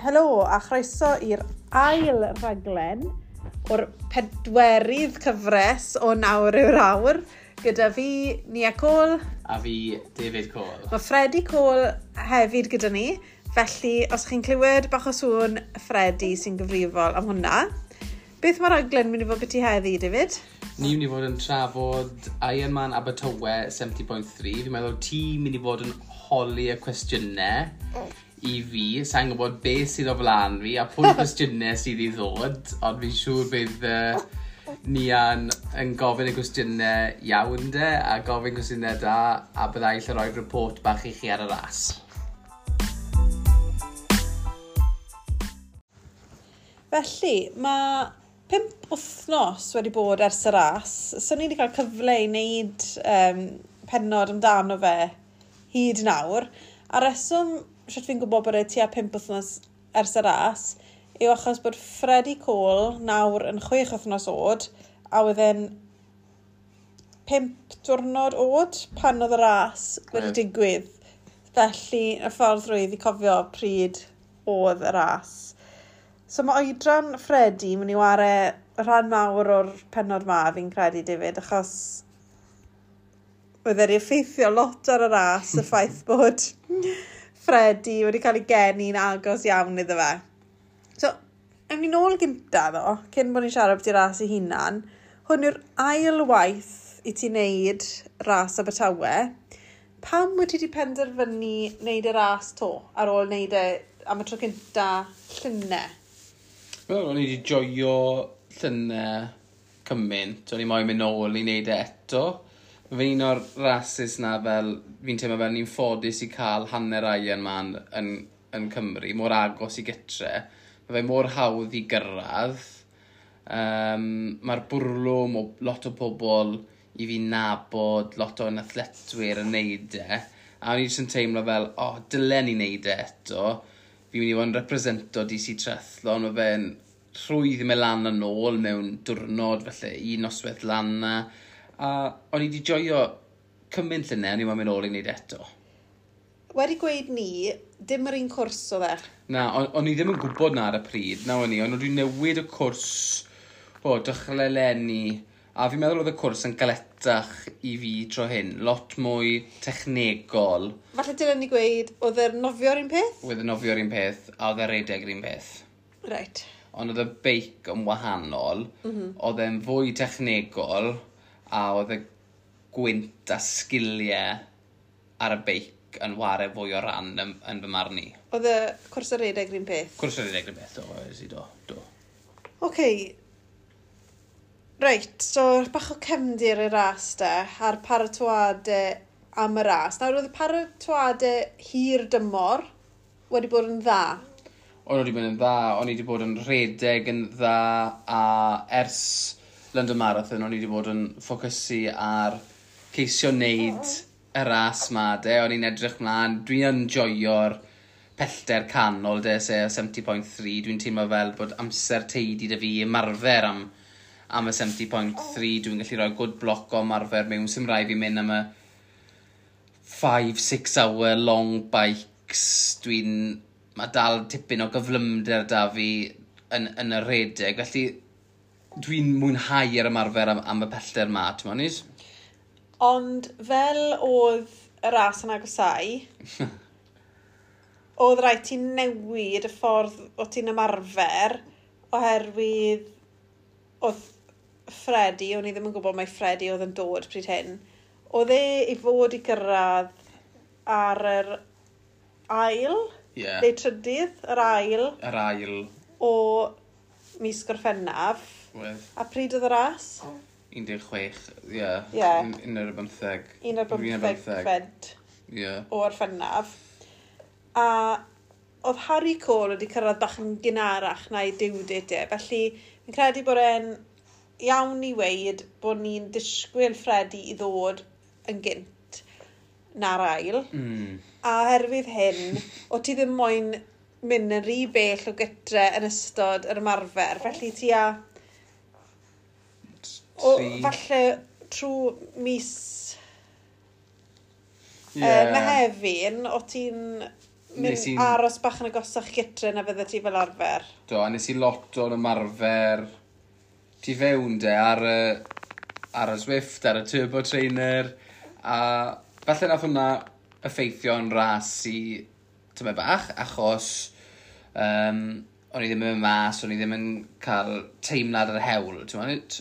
Helo a chroeso i'r ail rhaglen o'r pedwerydd cyfres o Nawr yw'r Awr gyda fi, Nia Cole. A fi, David Cole. Mae Freddie Cole hefyd gyda ni, felly os chi'n clywed bach o sŵn, Freddie sy'n gyfrifol am hwnna. Beth mae'r rhaglen mynd i fod beth i heddi, David? Ni'n mynd i fod yn trafod Ironman Abertawe 70.3. Fi'n meddwl ti'n mynd i fod yn holi y cwestiynau i fi. Sa'n gwybod beth sydd o flaen fi a pwy cwestiynau sydd i ddod, ond fi'n siŵr bydd Nia'n yn gofyn y cwestiynau iawn de, a gofyn cwestiynau da, a byddai lle rhoi report bach i chi ar y ras. Felly, mae 5 wythnos wedi bod ers y ras, so ni wedi cael cyfle i wneud pennod amdano fe hyd nawr. A reswm sut fi'n gwybod bod e tua 5 wythnos ers y ras yw achos bod Freddie Cole nawr yn 6 wythnos oed a oedd e'n 5 diwrnod oed pan oedd y ras wedi digwydd. Felly, y ffordd rwydd i cofio pryd oedd y ras. So mae oedran Freddie mynd i ware rhan mawr o'r pennod ma, fi'n credu, David, achos oedd e'n effeithio lot ar y ras, y ffaith bod Freddie wedi cael ei geni'n agos iawn iddo fe. So, ewn ni nôl gynta ddo, cyn bod ni'n siarad beth ras ei hunan, hwn yw'r ail waith i ti wneud ras Abertawe. Pam wyt ti wedi penderfynu wneud y ras to ar ôl wneud e am y tro cynta llynedd? Wel, o'n i wedi joio llynedd cymaint, o'n i moyn mynd nôl i wneud e eto. Mae fe'n un o'r rases na fel, fi'n teimlo fel ni'n ffodus i cael hanner Ironman yn Cymru, mor agos i gytre. Mae fe mor hawdd i gyrraedd. Mae'r bwrlwm o lot o pobl i fi nabod, lot o'n athletwyr yn neud e. A o'n i jyst yn teimlo fel, o, oh, dylen ni neud e eto. Fi'n mynd i fod yn represento DC Triathlon, mae fe'n rhwydd i mynd lan a nôl mewn diwrnod, felly un noswaith lan na. A o'n i wedi joio cymaint llynedd, o'n i'n mynd nôl i wneud eto. Wedi gweud ni, dim yr un cwrs oedd e? Na, o'n i ddim yn gwybod na ar y pryd, na o'n i, ond o'n i newid y cwrs o dechrau eleni, a fi'n meddwl oedd y cwrs yn galetach i fi tro hyn, lot mwy technegol. Falle dylen ni gweud, oedd e'r nofio'r un peth? Oedd e'r nofio'r un peth, a oedd e'r redeg yr un peth. Right. Ond oedd y beic yn wahanol, oedd e'n fwy technegol, a oedd y gwynt a sgiliau ar y beic yn ware fwy o ran yn fy marn i. Oedd y cwrs y redeg yr un peth? Cwrs y redeg yr un peth, do, oes i do, do. Oce. Reit, so bach o cefndir y ras de, a'r paratoadau am y ras. Nawr, oedd y paratoadau hir dymor wedi bod yn dda? O'n wedi bod yn dda, o'n i wedi bod yn rhedeg yn dda, a ers London Marathon o'n i wedi bod yn ffocysu ar ceisio wneud y ras ma, de, o'n i'n edrych mlaen, dwi'n joio'r pellter canol, de, sef 70.3, dwi'n teimlo fel bod amser teidi da fi ymarfer am y 70.3, dwi'n gallu rhoi good block o ymarfer mewn, sy'n rhaid fi mynd am y 5-6 hour long bikes, mae dal tipyn o gyflymder da fi yn y rhedeg, felly dwi'n mwynhau yr ymarfer am y pellter ma, ti'n moyn? Ond fel oedd y ras yn agosau, oedd rhaid ti newid y ffordd o ti'n ymarfer, oherwydd oedd Freddie, o'n i ddim yn gwybod mai Freddie oedd yn dod pryd hyn, oedd e i fod i gyrraedd ar yr ail, neu trydydd, yr ail. Yr ail. O mis Gorffennaf. Wedd. A pryd oedd y ras? 16, ie. Un ar y bymtheg. Un ar bymtheg o Orffennaf. A oedd Harry Cole wedi cyrraedd bach yn gynharach na'i due date e. Felly, fi'n credu bod e'n iawn i weud bod ni'n disgwyl Freddie i ddod yn gynt na'r ail. A oherwydd hyn, o ti ddim moyn mynd yn rhy bell o gytre yn ystod yr ymarfer. Felly ti a... O, falle trwy mis Mehefin, o ti'n Mynd aros bach yn agosach gytre na fydde ti fel arfer. Do, a nes i lot o'n ymarfer tu fewn de ar y Zwift, ar y Turbo Trainer, a falle nath hwnna effeithio'n ras i tymed bach, achos o'n i ddim yn mynd mas, o'n i ddim yn cael teimlad ar yr hewl, ti'n gwbod?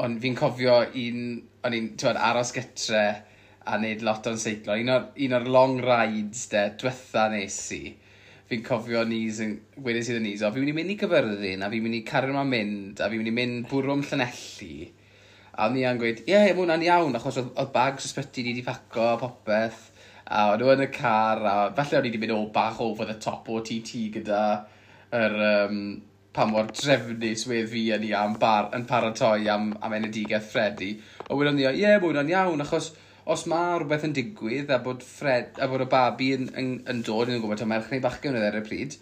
Ond fi'n cofio un, o'n i'n, ti'n gwbod, aros gytre a neud lot o'n seiclo. Un o'r long rides de, diwetha nes i, fi'n cofio Nis yn, wedes i Nis, o, fi'n mynd i mynd i Gyfyrddin, a fi'n mynd i cario ymlaen mynd, a fi'n mynd i mynd bwrw am Llanelli. A o'n i yn gweud, "Ie, yeah, mae hwnna'n iawn," achos oedd bags ysbyty ni wedi paco a popeth. A o'n nhw yn y car, a falle o'n i wedi mynd o bach over the top OTT gyda yr, pa mor drefnus wedd fi yn i am bar, yn paratoi am enedigaeth Freddy. Ond wedon ni, "Ie, yeah, mae hwnna'n iawn," achos os mae rhywbeth yn digwydd a bod, Fred, a bod y babi yn dod, yn gwybod taw merch neu bachgen oedd ar y pryd,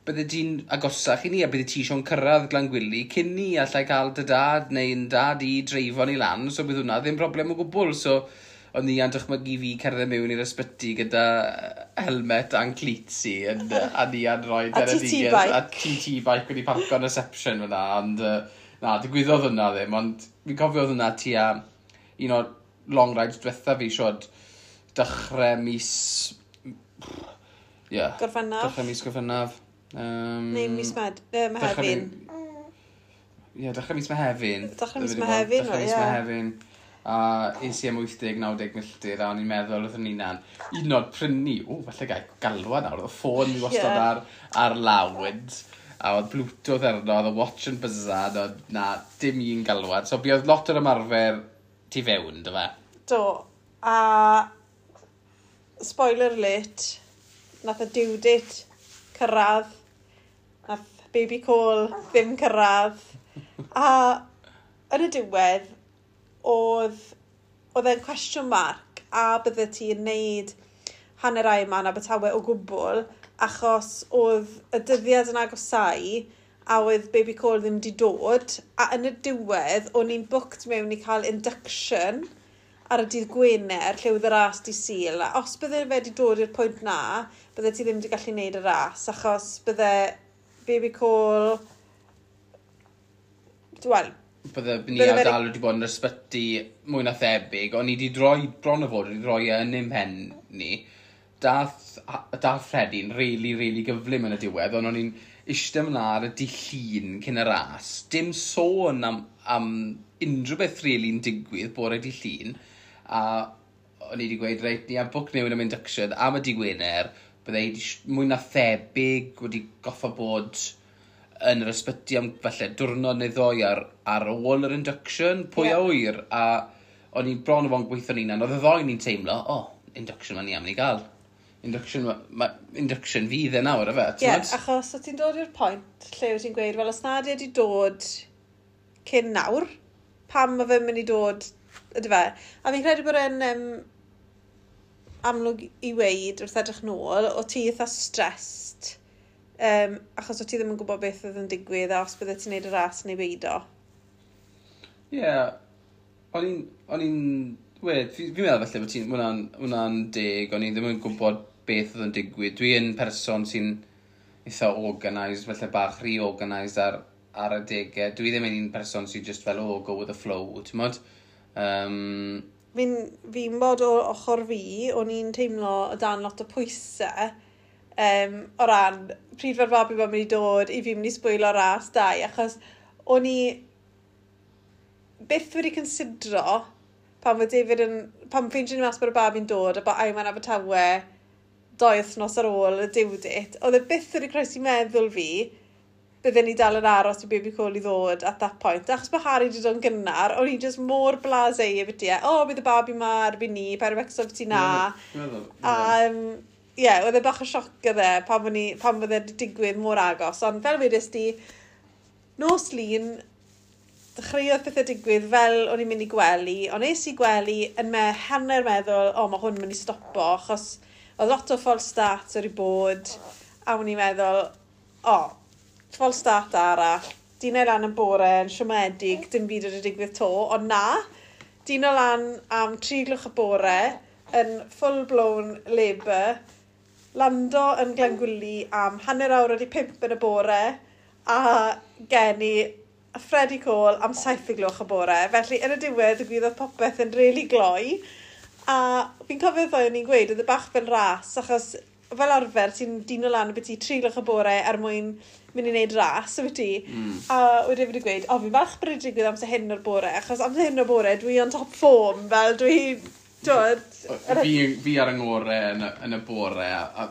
bydde ti'n agosach i ni a bydde ti eisiau'n cyrraedd Glangwili cyn ni allai cael dy dad neu'n dad i dreifo ni lan, so bydd hwnna ddim broblem o gwbl. So, o'n i yn dychmygu fi cerdded mewn i'r ysbyty gyda helmet a'n cleats i yn, a ni yn rhoi A TT bike. A TT bike wedi parco yn reception fyna, ond na, digwyddodd hwnna ddim, ond fi'n cofio oedd hwnna tua un o'r long rides diwetha fi, siod, dechrau mis... Ie. Yeah, Gorffennaf. Dechrau mis Gorffennaf. Neu mis Mehefin. Ie, yeah, dechrau mis Mehefin. Dechrau mis Mehefin, Dechrau mis Mehefin. A es i am 80-90 milltir, a o'n i'n meddwl wrth yn hunan, un o'r prynu, o, falle gai galwad nawr, oedd y ffôn fi wastad ar loud, a oedd Bluetooth arno, oedd y watch yn buzzan, oedd na, dim un galwad. So, buodd lot o'r ymarfer tu fewn, dy fe? Do. A spoiler alert, nath y due date cyrraedd, nath baby call ddim cyrraedd. A yn y diwedd, oedd e'n question mark a bydde ti'n neud hanner Ironman Abertawe o gwbl, achos oedd y dyddiad yn agosau a oedd baby call ddim di dod, a yn y diwedd, o'n i'n booked mewn i cael induction ar y dydd Gwener, lle oedd y ras di Sul. A os bydde fe wedi dod i'r pwynt na, bydde ti ddim wedi gallu neud y ras, achos bydde baby call... Wel, Bydde ni a dal wedi bod yn ysbyty mwy na thebyg, ond ni wedi droi, bron o fod wedi droi e yn ein pen ni. Dath Freddie'n really, really gyflym yn y diwedd, ond o'n i'n eistedd yma ar y dydd Llun cyn y ras. Dim sôn am unrhyw beth really'n digwydd bore dydd Llun. A o'n i wedi gweud, reit, ni am book mewn am induction am y dydd Gwener, bydde hi mwy na thebyg wedi goffa bod yn yr ysbyty am falle diwrnod neu ddoi ar ôl yr induction, pwy a wyr, a o'n i'n bron o fod yn gweithio'n hunan, oedd y ddoi ni'n teimlo, o, oh, induction ma ni am ni gael. Induction, induction fydd e nawr, efe, Ie, yeah, achos o ti'n dod i'r pwynt lle wyt ti'n gweud, wel, os nad wedi dod cyn nawr, pam mae fe'n mynd i dod, ydy fe? A fi'n credu bod e'n amlwg i weid wrth edrych nôl, o ti eitha stressed, achos o ti ddim yn gwybod beth oedd yn digwydd a os bydde ti'n neud y ras neu beidio. Ie, yeah, o'n i'n, wed, fi meddwl falle bod ti'n, hwnna'n deg, o'n i ddim yn gwybod beth oedd yn digwydd. Dwi yn person sy'n eitha organised, falle bach rhy organised ar adegau. Dwi ddim yn un person sy'n just fel, "Oh, go with the flow," ti'n mod? Fi'n bod o ochr fi, o'n i'n teimlo o dan lot o pwysau o ran pryd fe'r babi ma'n mynd i dod i fi mynd i sbwylo ras dau, achos o'n i byth wedi considro pan fod David yn, pan ffeindio ni mas bod y babi'n dod a bod Ironman Abertawe 2 wythnos ar ôl y due date, oedd e byth wedi croesi meddwl fi bydden ni dal yn aros i baby call i ddod at that point. Achos bod Harry wedi dod yn gynnar, o'n i just mor blasé i byti e. "O, oh, bydd y babi ma erbyn ni, paid â becso ti na." Meddwl, A, ie, yeah, oedd e bach o sioc gyda pan bod e wedi digwydd mor agos. Ond fel wedys di, nos Lun, dechreuodd pethau digwydd fel o'n i'n mynd i gwely, ond es i gwely yn me hanner meddwl, "O, oh, mae hwn yn mynd i stopo," achos oedd lot o false starts wedi bod, a o'n i'n meddwl, "O, oh, false start arall, dino lan yn bore, yn siomedig, dim byd wedi digwydd to," ond na, dino lan am 3 gloch y bore, yn full-blown labour, lando yn Glangwili am 5:30 yn y bore, a geni Freddie Cole am 7 o'r gloch y bore. Felly, yn y diwedd, digwyddodd popeth yn really gloi. A fi'n cofio ddoe o'n i'n gweud, oedd e bach fel ras, achos fel arfer, ti'n dino lan beth i 3 gloch y bore er mwyn mynd i wneud ras, wyt ti? A wedyn fi wedi gweud, "O, fi'n falch bod wedi digwydd amser hyn o'r bore, achos amser hyn o'r bore, dwi on top form, fel dwi, dod." Fi ar yng ngore yn y bore, a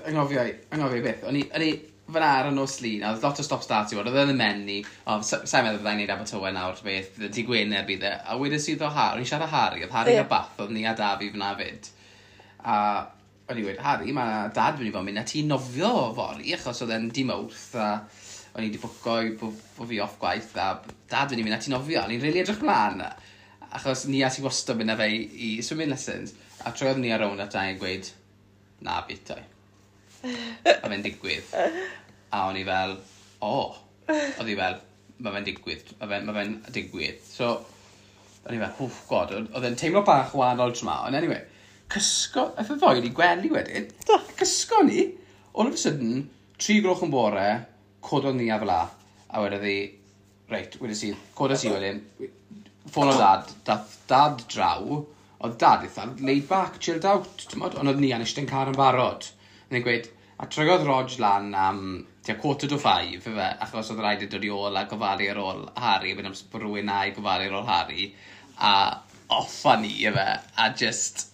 anghofio beth, o'n i fyna ar y nos Lun, a oedd lot o stop start i fod, oedd e'n ymenu, o, sa'n meddwl byddai'n neud Abertawe nawr, beth, dydd Gwener bydd e, a wedes i ddo Harry, o'n i'n siarad â Harry, oedd Harry yeah. a Bath, oedd ni a Dafi fyna fyd, a o'n i wedi, "Harry, mae dad mynd i fod yn mynd â ti nofio fory," achos oedd e'n dydd Mawrth, a o'n i wedi bwco i bo fi off gwaith, a dad mynd i mynd â ti nofio, o'n i'n rili edrych mlaen, achos ni a ti wastad mynd â fe i swimming lessons, a troedd ni ar rownd at i gweud, "Na, bit o'i. A fe'n digwydd." A o'n i fel, "O." Oedd hi fel, "Mae fe'n digwydd, ma fe'n digwydd." So, o'n i fel, "Oh God," oedd e'n teimlo bach wahanol tro 'ma. Ond anyway, cysgo, aeth y ddoi i gwely wedyn. Do. Cysgo ni, all of a sudden, 3 gloch yn bore, cododd ni a fel 'a. A wedodd hi, reit, wedes i, cododd i wedyn, ffôn o dad, dath dad draw, oedd dad eitha laid back, chilled out, t'mod, ond oedd ni yn eistedd yn car yn barod. Yn gweud, a troiodd Rog lan am tua 4:45, ife, achos oedd rhaid i dod i ôl a gofalu ar ôl Harry, wedyn amser bod rhywun na i gofalu ar ôl Harry, a off â ni, ife, a just,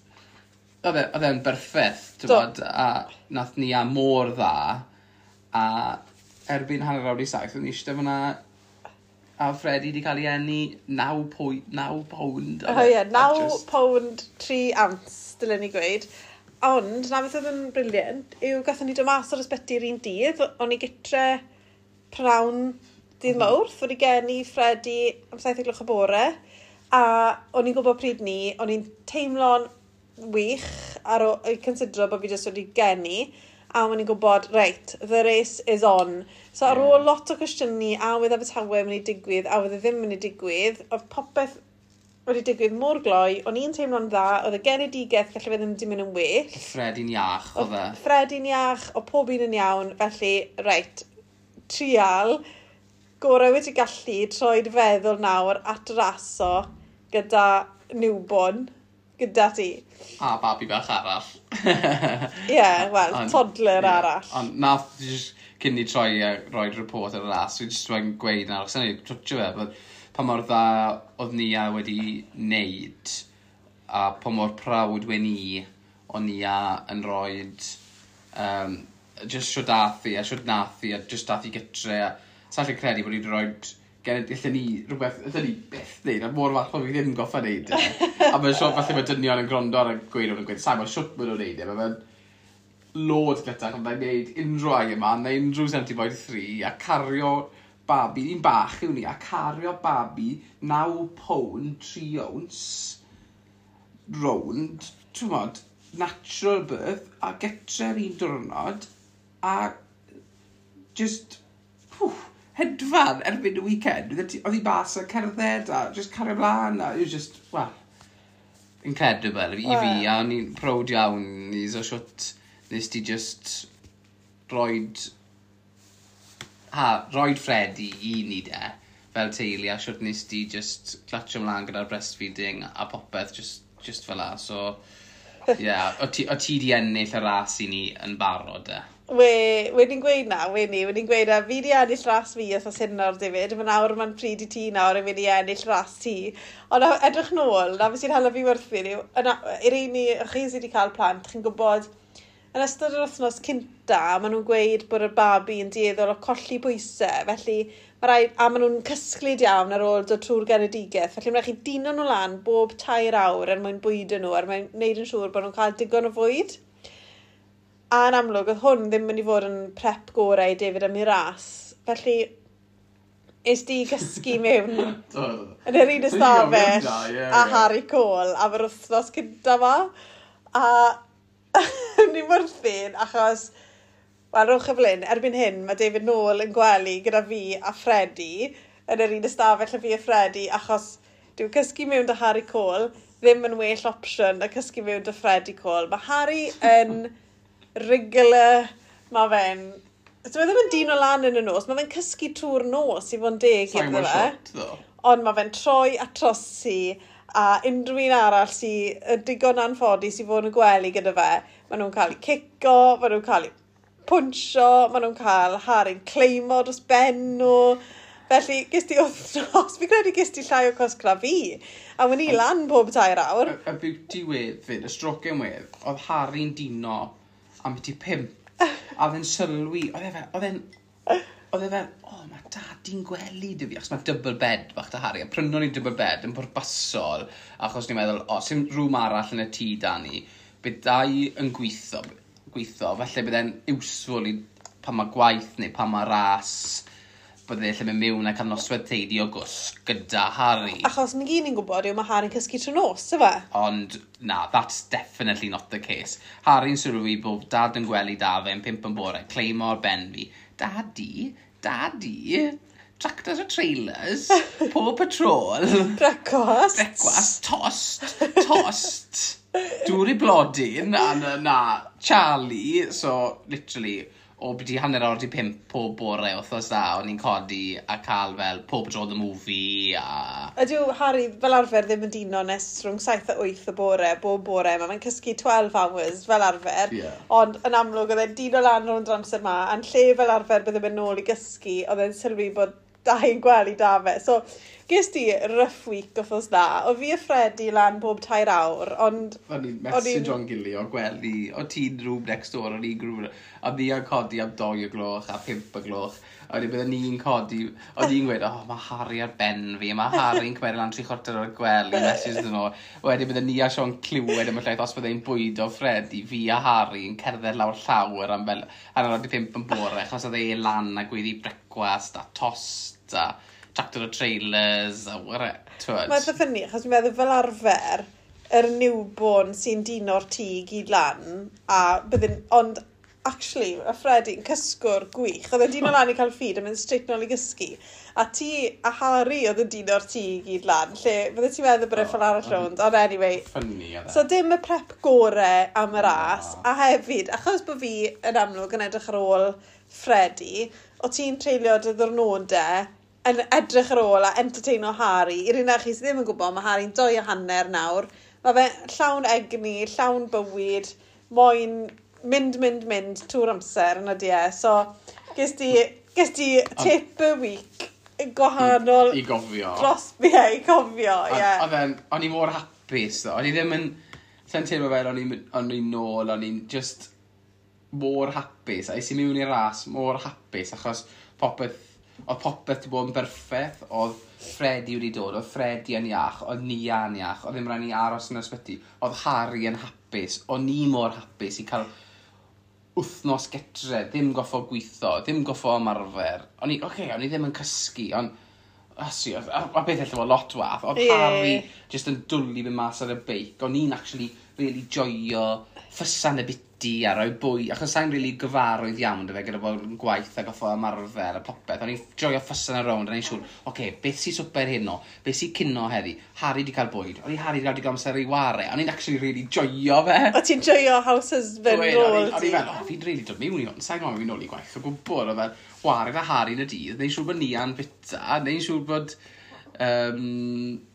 oedd e'n berffaith, t'mod, a nath ni a mor dda, a erbyn 6:30, o'n i eistedd fyna, a Freddie wedi cael ei eni 9 pound. O ie, 9 pound 3 ounce, dylen ni gweud. Ond, na beth oedd yn brilliant, yw gathon ni dod mas o'r ysbyty yr un dydd, o'n i gytre prynhawn dydd Mawrth, wedi geni Freddie am 7 gloch y bore, a o'n i'n gwybod pryd ni, o'n i'n teimlo'n wych ar o, i considero bod fi jyst wedi geni, a o'n i'n gwybod, reit, the race is on. So ar ôl lot o cwestiynu, a oedd Abertawe mynd i digwydd, a oedd e ddim mynd i digwydd, oedd popeth wedi digwydd mor gloi, o'n i'n teimlo'n dda, oedd y genedigaeth gallu fe ddim wedi mynd yn well. Freddie'n iach, oedd e. Freddie'n iach, o pob un yn iawn, felly, reit, trial, gorau wedi gallu troi dy feddwl nawr at raso gyda newborn, gyda ti. A babi bach arall. Ie, yeah, wel, toddler arall. Ond nath, just, cyn ni troi a roi'r report ar y ras, fi jyst wedi gweud nawr, achos ni twtio fe, but pa mor dda oedd Nia wedi wneud, a pa mor proud wen i o Nia yn roed, just shwt dath hi, a shwt nath hi, a just dath hi gytre, a sa'n gallu credu bod hi wedi rhoi allen ni rhywbeth, allen ni byth wneud, a mor falch bod fi ddim goffa wneud e. A mae'n siŵr, falle mae dynion yn gwrando ar y gweud nhw'n gweud, sa'n bod shwt maen nhw'n wneud e, mae fe'n load gletach yn wneud unrhyw Ironman neu unrhyw 70.3 a cario babi, un bach yw ni, a cario babi 9 pound 3 ounce rownd, ti'n mod, natural birth, a getre'r un diwrnod, a just, pwff, hedfan erbyn y weekend. Oedd hi bas a cerdded a just cario mlaen, a it was just, well, incredible i fi, a o'n i'n proud iawn i so shwt nes ti just roed Freddie i ni de, fel teulu, a shwt nes ti just clatio mlaen gyda'r breastfeeding a popeth, just fel 'a. So, yeah, o ti di ennill y ras i ni yn barod de. We, ni'n gweud na, we ni'n gweud na, fi di ennill ras fi os hyn nawr, David, mae nawr mae'n pryd i ti nawr yn mynd i ennill ras ti. Ond edrych nôl, na beth sy'n hala fi werthu yw, i'r un i chi sydd wedi cael plant, chi'n gwybod, yn ystod yr wythnos cynta, maen nhw'n gweud bod y babi yn dueddol o colli pwysau, felly mae rhaid, a maen nhw'n cysglyd iawn ar ôl dod trwy'r genedigaeth, felly mae rhaid chi dino nhw lan bob 3 awr er mwyn bwydo nhw, er mwyn gwneud yn siŵr bod nhw'n cael digon o fwyd. A yn amlwg, oedd hwn ddim mynd i fod yn prep gorau i David am ei ras. Felly, es di gysgu mewn yn yr un ystafell a Harry Cole am yr wythnos cynta ma. A ni'n werthu'n achos, wel, rhowch y flyn, erbyn hyn mae David nôl yn gwely gyda fi a Freddie yn yr un ystafell a fi a Freddie, achos dyw Dyw cysgu mewn 'da Harry Cole ddim yn well opsiwn na cysgu mewn 'da Freddie Cole. Mae Harry yn regular, mae fe'n... So mae ddim yn dino lan yn y nos, mae fe'n cysgu trwy'r nos i fod yn deg iddo fe. Ond mae fe'n troi a trosi a unrhyw un arall sy'n digon anffodus i fod yn gwely gyda fe, maen nhw'n cael eu cico, maen nhw'n cael eu pwnsio, maen nhw'n cael Harry'n cleimo dros ben nhw. Felly, ges ti wythnos, fi credu ges ti llai o cwsg na fi. A wyn i lan pob 3 awr. Y beauty wedd fyd, y strocen wedd, oedd Harry'n dino am byti 5. A oedd e'n sylwi, oedd e fel, "O, oh, mae dadi'n gwely 'da fi," achos mae double bed bach 'da Harry, a prynon ni double bed yn pwrpasol, achos ni'n meddwl, o, sy'n rŵm arall yn y tŷ da ni, bydd dau yn gweithio, felly bydd e'n useful i pan mae gwaith neu pan mae ras, bydde lle mynd mewn a cael noswaith teidi o gwsg gyda Harry. Achos ni gyd ni'n gwybod yw mae Harry'n cysgu trwy nos, yfe? Ond na, that's definitely not the case. Harry'n sylwi bod dad yn gwely da fe yn 5 yn bore, cleimo ar ben fi. "Daddy, daddy, tractors a trailers, Paw Patrol." Brecwast. Brecwast, tost, tost, dŵr i blodyn, a na, Charlie, so literally, o byti 5:30 pob bore wythnos da, o'n i'n codi a cael fel Paw Patrol the movie a. Ydyw Harry fel arfer ddim yn dino nes rhwng 7 a 8 y bore, bob bore. Mae fe'n cysgu 12 hours fel arfer. Ond yn amlwg oedd e'n dino lan rownd yr amser ma, a'n lle fel arfer bydde mynd nôl i gysgu, oedd e'n sylwi bod dau yn gwely da fe. So, ges ti rough week wythnos na. O fi a Freddie lan bob 3 awr, ond. O'n i'n message o'n gili o gwely, o ti'n room next door, o'n i'n room, a ni yn codi am 2 o gloch a 5 o gloch. A wedyn bydden ni'n codi, o'n i'n gweud, "Oh, mae Harry ar ben fi, mae Harry'n cymryd lan 75 o'r gwely," message iddyn nhw. Wedyn bydden ni a Sean clywed am y llaeth os bydde'n bwydo Freddie, fi a Harry yn cerdded lawr llawr am fel 4:30 yn bore, achos oedd e lan a gweiddi brecwast a tost a tractor o trailers a whatever. Mae'n eitha funny, achos fi'n meddwl fel arfer, yr newborn sy'n dino'r tŷ gyd lan, a bydden, ond actually, y Freddie'n cysgwr gwych. Oedd e'n dino lan i cael feed a mynd straight nôl i gysgu. A ti a Harry oedd yn dino'r tŷ gyd lan, lle bydde ti'n meddwl bod e ffordd arall rownd. Ond anyway, Funny oedd e. So dim y prep gore am y ras, a hefyd, achos bod fi yn amlwg yn edrych ar ôl Freddie, o ti'n treulio dy ddwrnodau yn edrych ar ôl a entertaino Harry. I'r un chi sydd ddim yn gwybod, mae Harry'n 2.5 nawr. Mae fe llawn egni, llawn bywyd, moyn mynd, mynd, mynd trwy'r amser yn ydi e. So, ges ti taper week gwahanol I gofio. Dros fi e, i cofio, ie. Oedd e'n, o'n i mor hapus, ddo. O'n i ddim yn, sa'n teimlo fel o'n i'n nôl, o'n i'n just mor hapus. A es i mewn i'r ras mor hapus, achos popeth, oedd popeth wedi bod yn berffaith, oedd Freddie wedi dod, oedd Freddie yn iach, oedd Nia yn iach, oedd ddim rhaid ni aros yn y ysbyty, oedd Harry yn hapus, o'n i mor hapus i cael wythnos getre, ddim goffo gweithio, ddim goffo ymarfer. O'n i, oce, okay, o'n i ddim yn cysgu, ond Asu, a beth allai fod lot wath, oedd Harry just yn dwlu mynd mas ar y beic, o'n i'n actually really joio ffysan y biti a rhoi bwy, achos sa'n really gyfarwydd iawn dy fe gyda bod yn gwaith a goffo ymarfer a popeth, o'n i'n joio ffysan ar rownd, a o'n i'n siŵr, oce, okay, beth sy'n swper heno, beth sy'n cino heddi, Harry di cael bwyd, o'n i Harry di cael digon amser i ware, o'n i'n actually really joio fe. O ti'n joio house husband rôl O'n i fel, "Oh, fi'n really dod mewn i hwn, sa'n gwybod fi'n nôl i gwaith o gwbl," o fel, ware gyda Harry yn y dydd, neu'n siŵr bod Nia'n bita, neu'n siŵr bod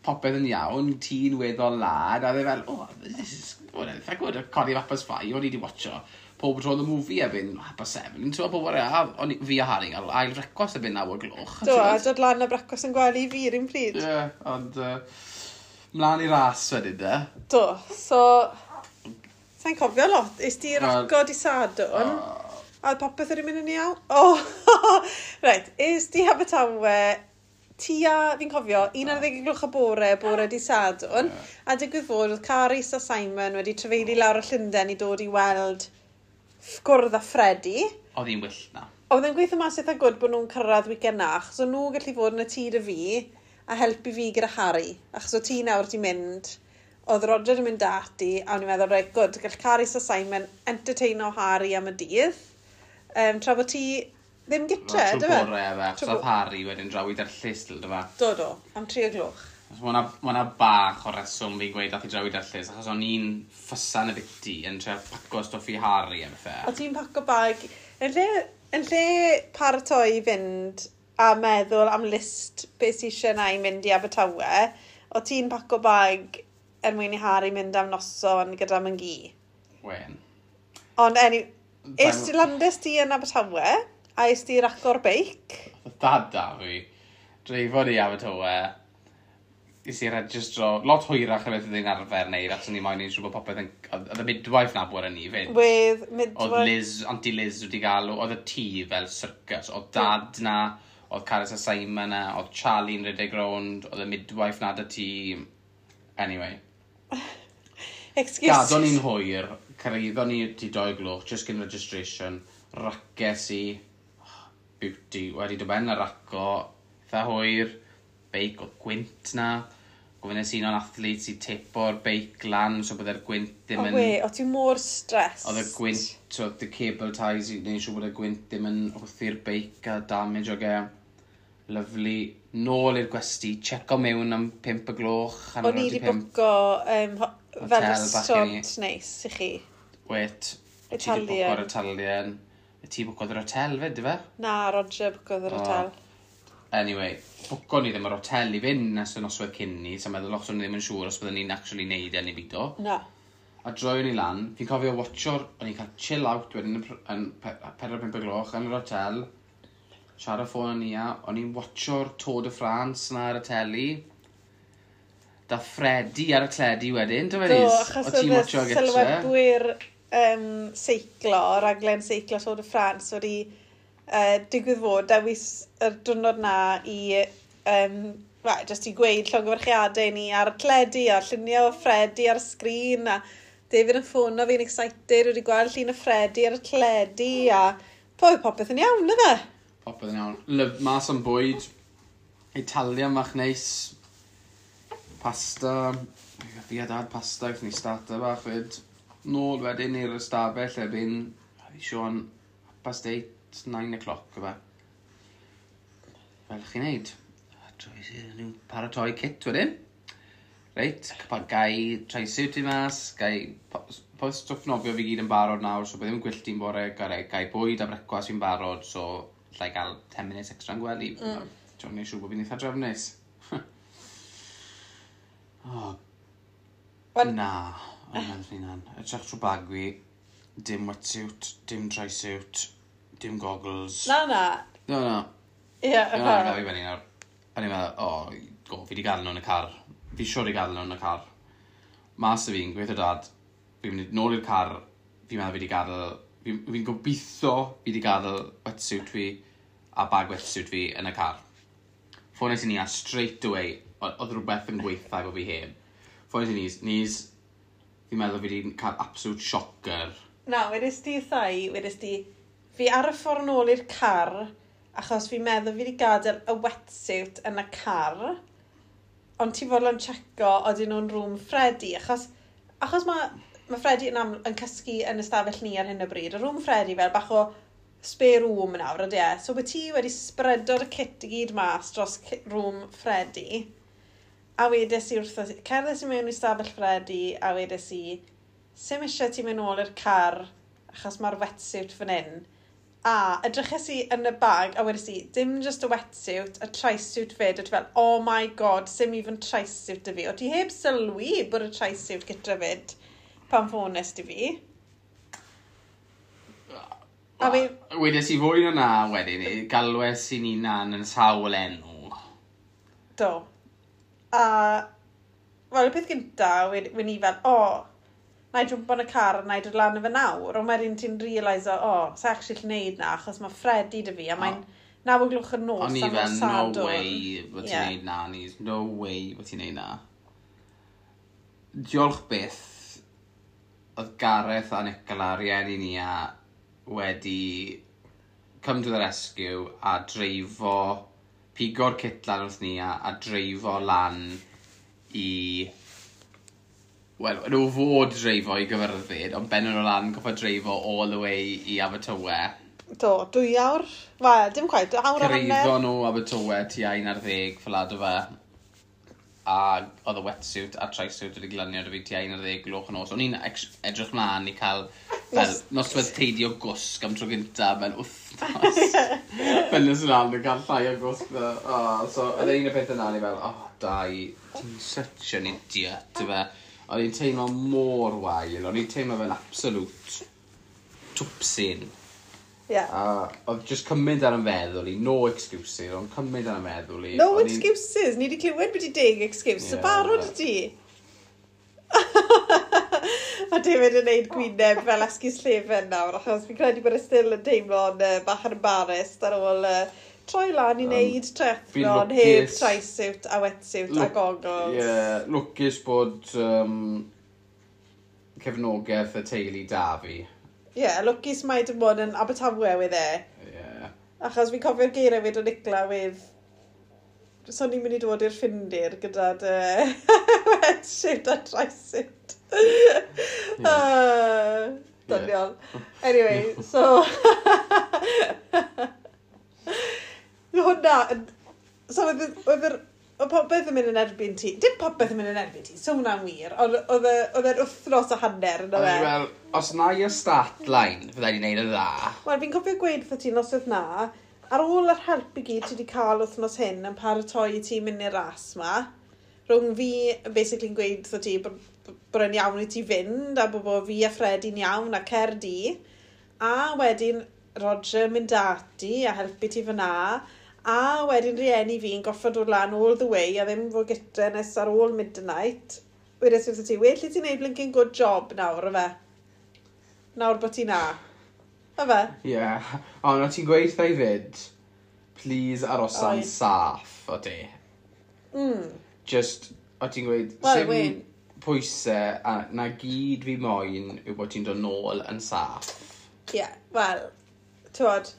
popeth yn iawn, ti'n weddol lad, a dde fel, "Oh, this is, well, eitha good," codi 5:30, o'n i wedi watcho Paw Patrol the movie erbyn 7:30, ti'n gwybod, pob a o'n fi a Harry'n cael ail frecwast erbyn 9 o gloch. Do, a dod lan a brecwast yn gwely fi yr un pryd. Ie, yeah, ond mlaen i ras wedyn, de. Do, so... Sa'n cofio lot. Is di raco di Sadwrn? A oedd popeth wedi mynd yn iawn? O, oh, reit, is di Abertawe tua, fi'n cofio, 11 o gloch y bore, bore di Sadwrn, a digwydd fod oedd Carys a Simon wedi trafeili lawr o Llundain i dod i weld gwrdd â Freddie. Oedd hi'n wyllt na. Oedd e'n gweithio mas eitha good bod nhw'n cyrraedd weekend na, achos o'n nhw gallu fod yn y tŷ 'da fi a helpu fi gyda Harry. Achos o ti nawr di mynd, oedd Roger yn mynd ati, a o'n i'n meddwl, reit, good, gall Carys a Simon entertaino Harry am y dydd. Tra bod ti ddim gytre, dy fe? Trwy bore, fe, achos oedd Harry wedyn draw i derllys, dy fe. Do, do, am 3 o gloch. Mae hwnna bach o reswm fi'n gweud dath i draw i Dyrllys, achos o'n i'n ffysan y biti yn trio paco stwff i Harry a bethau. O ti'n paco bag. Yn lle paratoi i fynd a meddwl am list beth sy'n eisiau na i mynd i Abertawe, o ti'n paco bag er mwyn i Harry mynd am noson gyda Myngi. Wen. Ond anyway, es ti landes ti yn Abertawe, a es ti racio'r beic. Oedd dad da fi, dreifo ni Abertawe, is i registro, lot hwyrach na beth oedd hi'n arfer wneud, achos o'n i moyn i'n siŵr bod popeth yn. Oedd y midwife na bod yn ni fyd. With Oedd midwife. Liz, Auntie Liz wedi galw, oedd y tŷ fel circus. Oedd dad na, oedd Caris a Simon na, oedd Charlie'n rhedeg rownd, oedd y midwife na dy tŷ. Anyway. Excuse. Gadon ni'n hwyr, cyrraeddon ni ti 2 gloch, just cyn registration, races i, oh, beauty, wedi dod ben ar raco, eitha hwyr, beic oedd gwynt na, gofynnes un o'n athletes i tepo'r beic lan, so byddai'r gwynt ddim O yn. we, o ti mor stressed. Oedd y gwynt, so oedd y cable ties i wneud siŵr bod y gwynt ddim yn hwthu'r beic a damage o ge. Lovely. Nôl i'r gwesty, checo mewn am 5 y gloch. O'n i wedi 5:15. bwco fel Hotel bach i ni. restaurant neis i chi. Wait. Ti 'di Italian. bwco'r Italian. Ti bwcodd yr hotel fyd, dy fe? Na, Roger bwcodd yr O. hotel. Anyway, bwco ni ddim yr hotel i fynd nes y noswaith cyn ni, so meddwl os o'n ni ddim yn siŵr os byddwn ni'n actually neud e neu bido. Na. A droion ni lan, fi'n cofio watcho'r, o'n i'n cael chill out wedyn yn 4-5 y gloch yn yr hotel, siarad ffôn yn ia, o'n i'n watcho'r Tour de France na ar y teli. Da Freddy ar y teledu wedyn, do fe Do, Lis? achos O ti'n oedd y watcho gytre? sylwebwyr seiclo, raglen seiclo Tour de France wedi digwydd fod dewis yr diwrnod na i well, just i gweud llongyfarchiadau ni ar y teledu a lluniau o Freddy ar y sgrin a David yn ffono fi'n excited wedi gweld llun o Freddy ar y teledu a popeth yn iawn, yna? Popeth yn iawn. Lyf, mas am bwyd. Italian fach neis. Pasta. Fi a dad pasta, gaethon ni starter bach fyd. Nôl wedyn i'r ystafell erbyn, fi Sean, 8:30, 9 o'clock, yfe. Fel chi'n neud. A Ni'n paratoi kit wedyn. Reit, pa gai tri-suit i mas, gai po stwff nofio fi gyd yn barod nawr, so bydd ddim yn gwyllti'n bore, gai bwyd a brecwast fi'n barod, so llai gael 10 minutes extra yn gwely. Ti'n neud siŵr bod fi'n eitha drefnus. Oh, Wel- na, o'n meddwl hynna'n. Edrych trwy bag fi, dim wetsuit, dim tri-suit, dim goggles. Na, na. No, no. Ie, Na, na, gael fi fyny nawr. O'n i'n meddwl, o, go, fi di gadael nhw yn y car. Fi siwr i gadael nhw yn y car. Mas y fi'n gweithio dad, fi'n mynd nôl i'r car, fi'n meddwl fi di gadael, fi gobeithio fi di gadael wetsuit fi a bag wetsuit fi yn y car. Ffones i ni a straight away, oedd rhywbeth yn gweithio bod fi heb. Ffones i ni, Nis, fi'n meddwl fi di cael absolute shocker. Na, wedys di thai, wedys di, fi ar y ffordd nôl i'r car, achos fi'n meddwl fi wedi gadael y wetsuit yn y car, ond ti fodlon checo odyn nhw'n rŵm Freddy, achos mae Freddy yn cysgu yn ystafell ni ar hyn o bryd, y rŵm Freddy fel bach o spare room nawr, ydy e? So bod ti wedi spreado'r kit i gyd mas dros rŵm Freddy, a wedes i wrtho, cerddes i mewn i stafell Freddy, a wedes i, sim eisiau ti mynd nôl i'r car, achos mae'r wetsuit fan hyn. A edryches i yn y bag, a wedes i, dim just y wetsuit, y tri-suit fyd, a ti fel, oh my god, sim even tri-suit 'da fi. O ti heb sylwi bod y tri-suit gyda fyd pan ffones di fi. A Wedes i fwy na na wedyn, galwes i ni nan yn sawl enw. Do. A, wel, y peth gynta, wen i fel, o, oh, na i jwmpo yn y car a na i dod lan efo nawr, ond wedyn ti'n realise, o, oh, sa actually gallu neud na, achos mae Freddy 'da fi, a mae'n 9 o gloch y nos O'n i am fel, nos no Sadwrn. way bod ti'n neud na, Nis. No way bod ti'n neud na. Diolch byth, oedd Gareth a Nicola, rieni ni a wedi come to the rescue a dreifo, pigo'r kit lan wrth ni a dreifo lan i. Wel, nhw fod dreifo i Gyfyrddin, ond ben nhw lan goffa dreifo all the way i Abertawe. Do, 2 awr. Wel, dim quite, awr a hanner. Cyrhaeddo nhw Abertawe tua 11 fel do fe. a oedd y wetsuit a trisuit wedi glanio 'da fi tua 11 gloch yn nos. O'n i'n edrych mlaen i cael fel noswaith teidi o gwsg am tro gynta mewn wythnos. Fel nes lan yn cael llai o gwsg. Oh, so oedd un o'r pethau 'na, o'n i fel, "Oh, Dai, ti'n such an idiot," ty fe. O'n i'n teimlo mor wael, o'n i'n teimlo fel absolute twpsyn. A oedd just cymaint ar 'y meddwl i, no excuses, ond cymaint ar 'y meddwl i. No excuses, ni wedi clywed beth i 10 excuse, so barod y ti. Mae David yn neud gwyneb fel esgus llefen nawr, achos fi'n credu bod e still yn teimlo'n bach yn embarrassed ar ôl troi lan i wneud triathlon heb trisuit a wetsuit a goggles. Ie, yeah, lwcus bod cefnogaeth y teulu da fi. Ie, yeah, lwcus mai dim bod yn Abertawe with e. Achos fi'n cofio'r geiriau fyd o Nicola with so ni'n mynd i dod i'r Ffindir gyda dy wetsuit a trisuit. Yeah. Doniol. Anyway, so hwnna, so oedd popeth yn mynd yn erbyn ti. Dim popeth yn mynd yn erbyn ti, so hwnna'n wir, ond oedd e'n wythnos a hanner yna fe. Wel, os na i'r start line, fydda i'n neud y dda. Wel, fi'n cofio gweud wrtho ti noswaith na, ar ôl yr help i gyd ti wedi cael wythnos hyn yn paratoi i ti mynd i'r ras ma, rhwng fi basically'n gweud wrtho ti bod e'n iawn i ti fynd, a bod fi a Freddie'n iawn a cer di, a wedyn Roger mynd ati a helpu ti fyna, a wedyn rieni fi'n goffod dod lan all the way a ddim fod gytre nes ar ôl midnight. Wedes i wrtho ti, "Well i ti wneud blinking good job nawr, yfe? Nawr bod ti na. Yfe?" Ie. Yeah. Ond o ti'n gweud wrtha i fyd, "Please arosa'n saff," o ti. Just, o ti'n gweud, Wel, sim pwysau, a na gyd fi moyn yw bod ti'n dod nôl yn saff. Ie, yeah, wel, t'wod,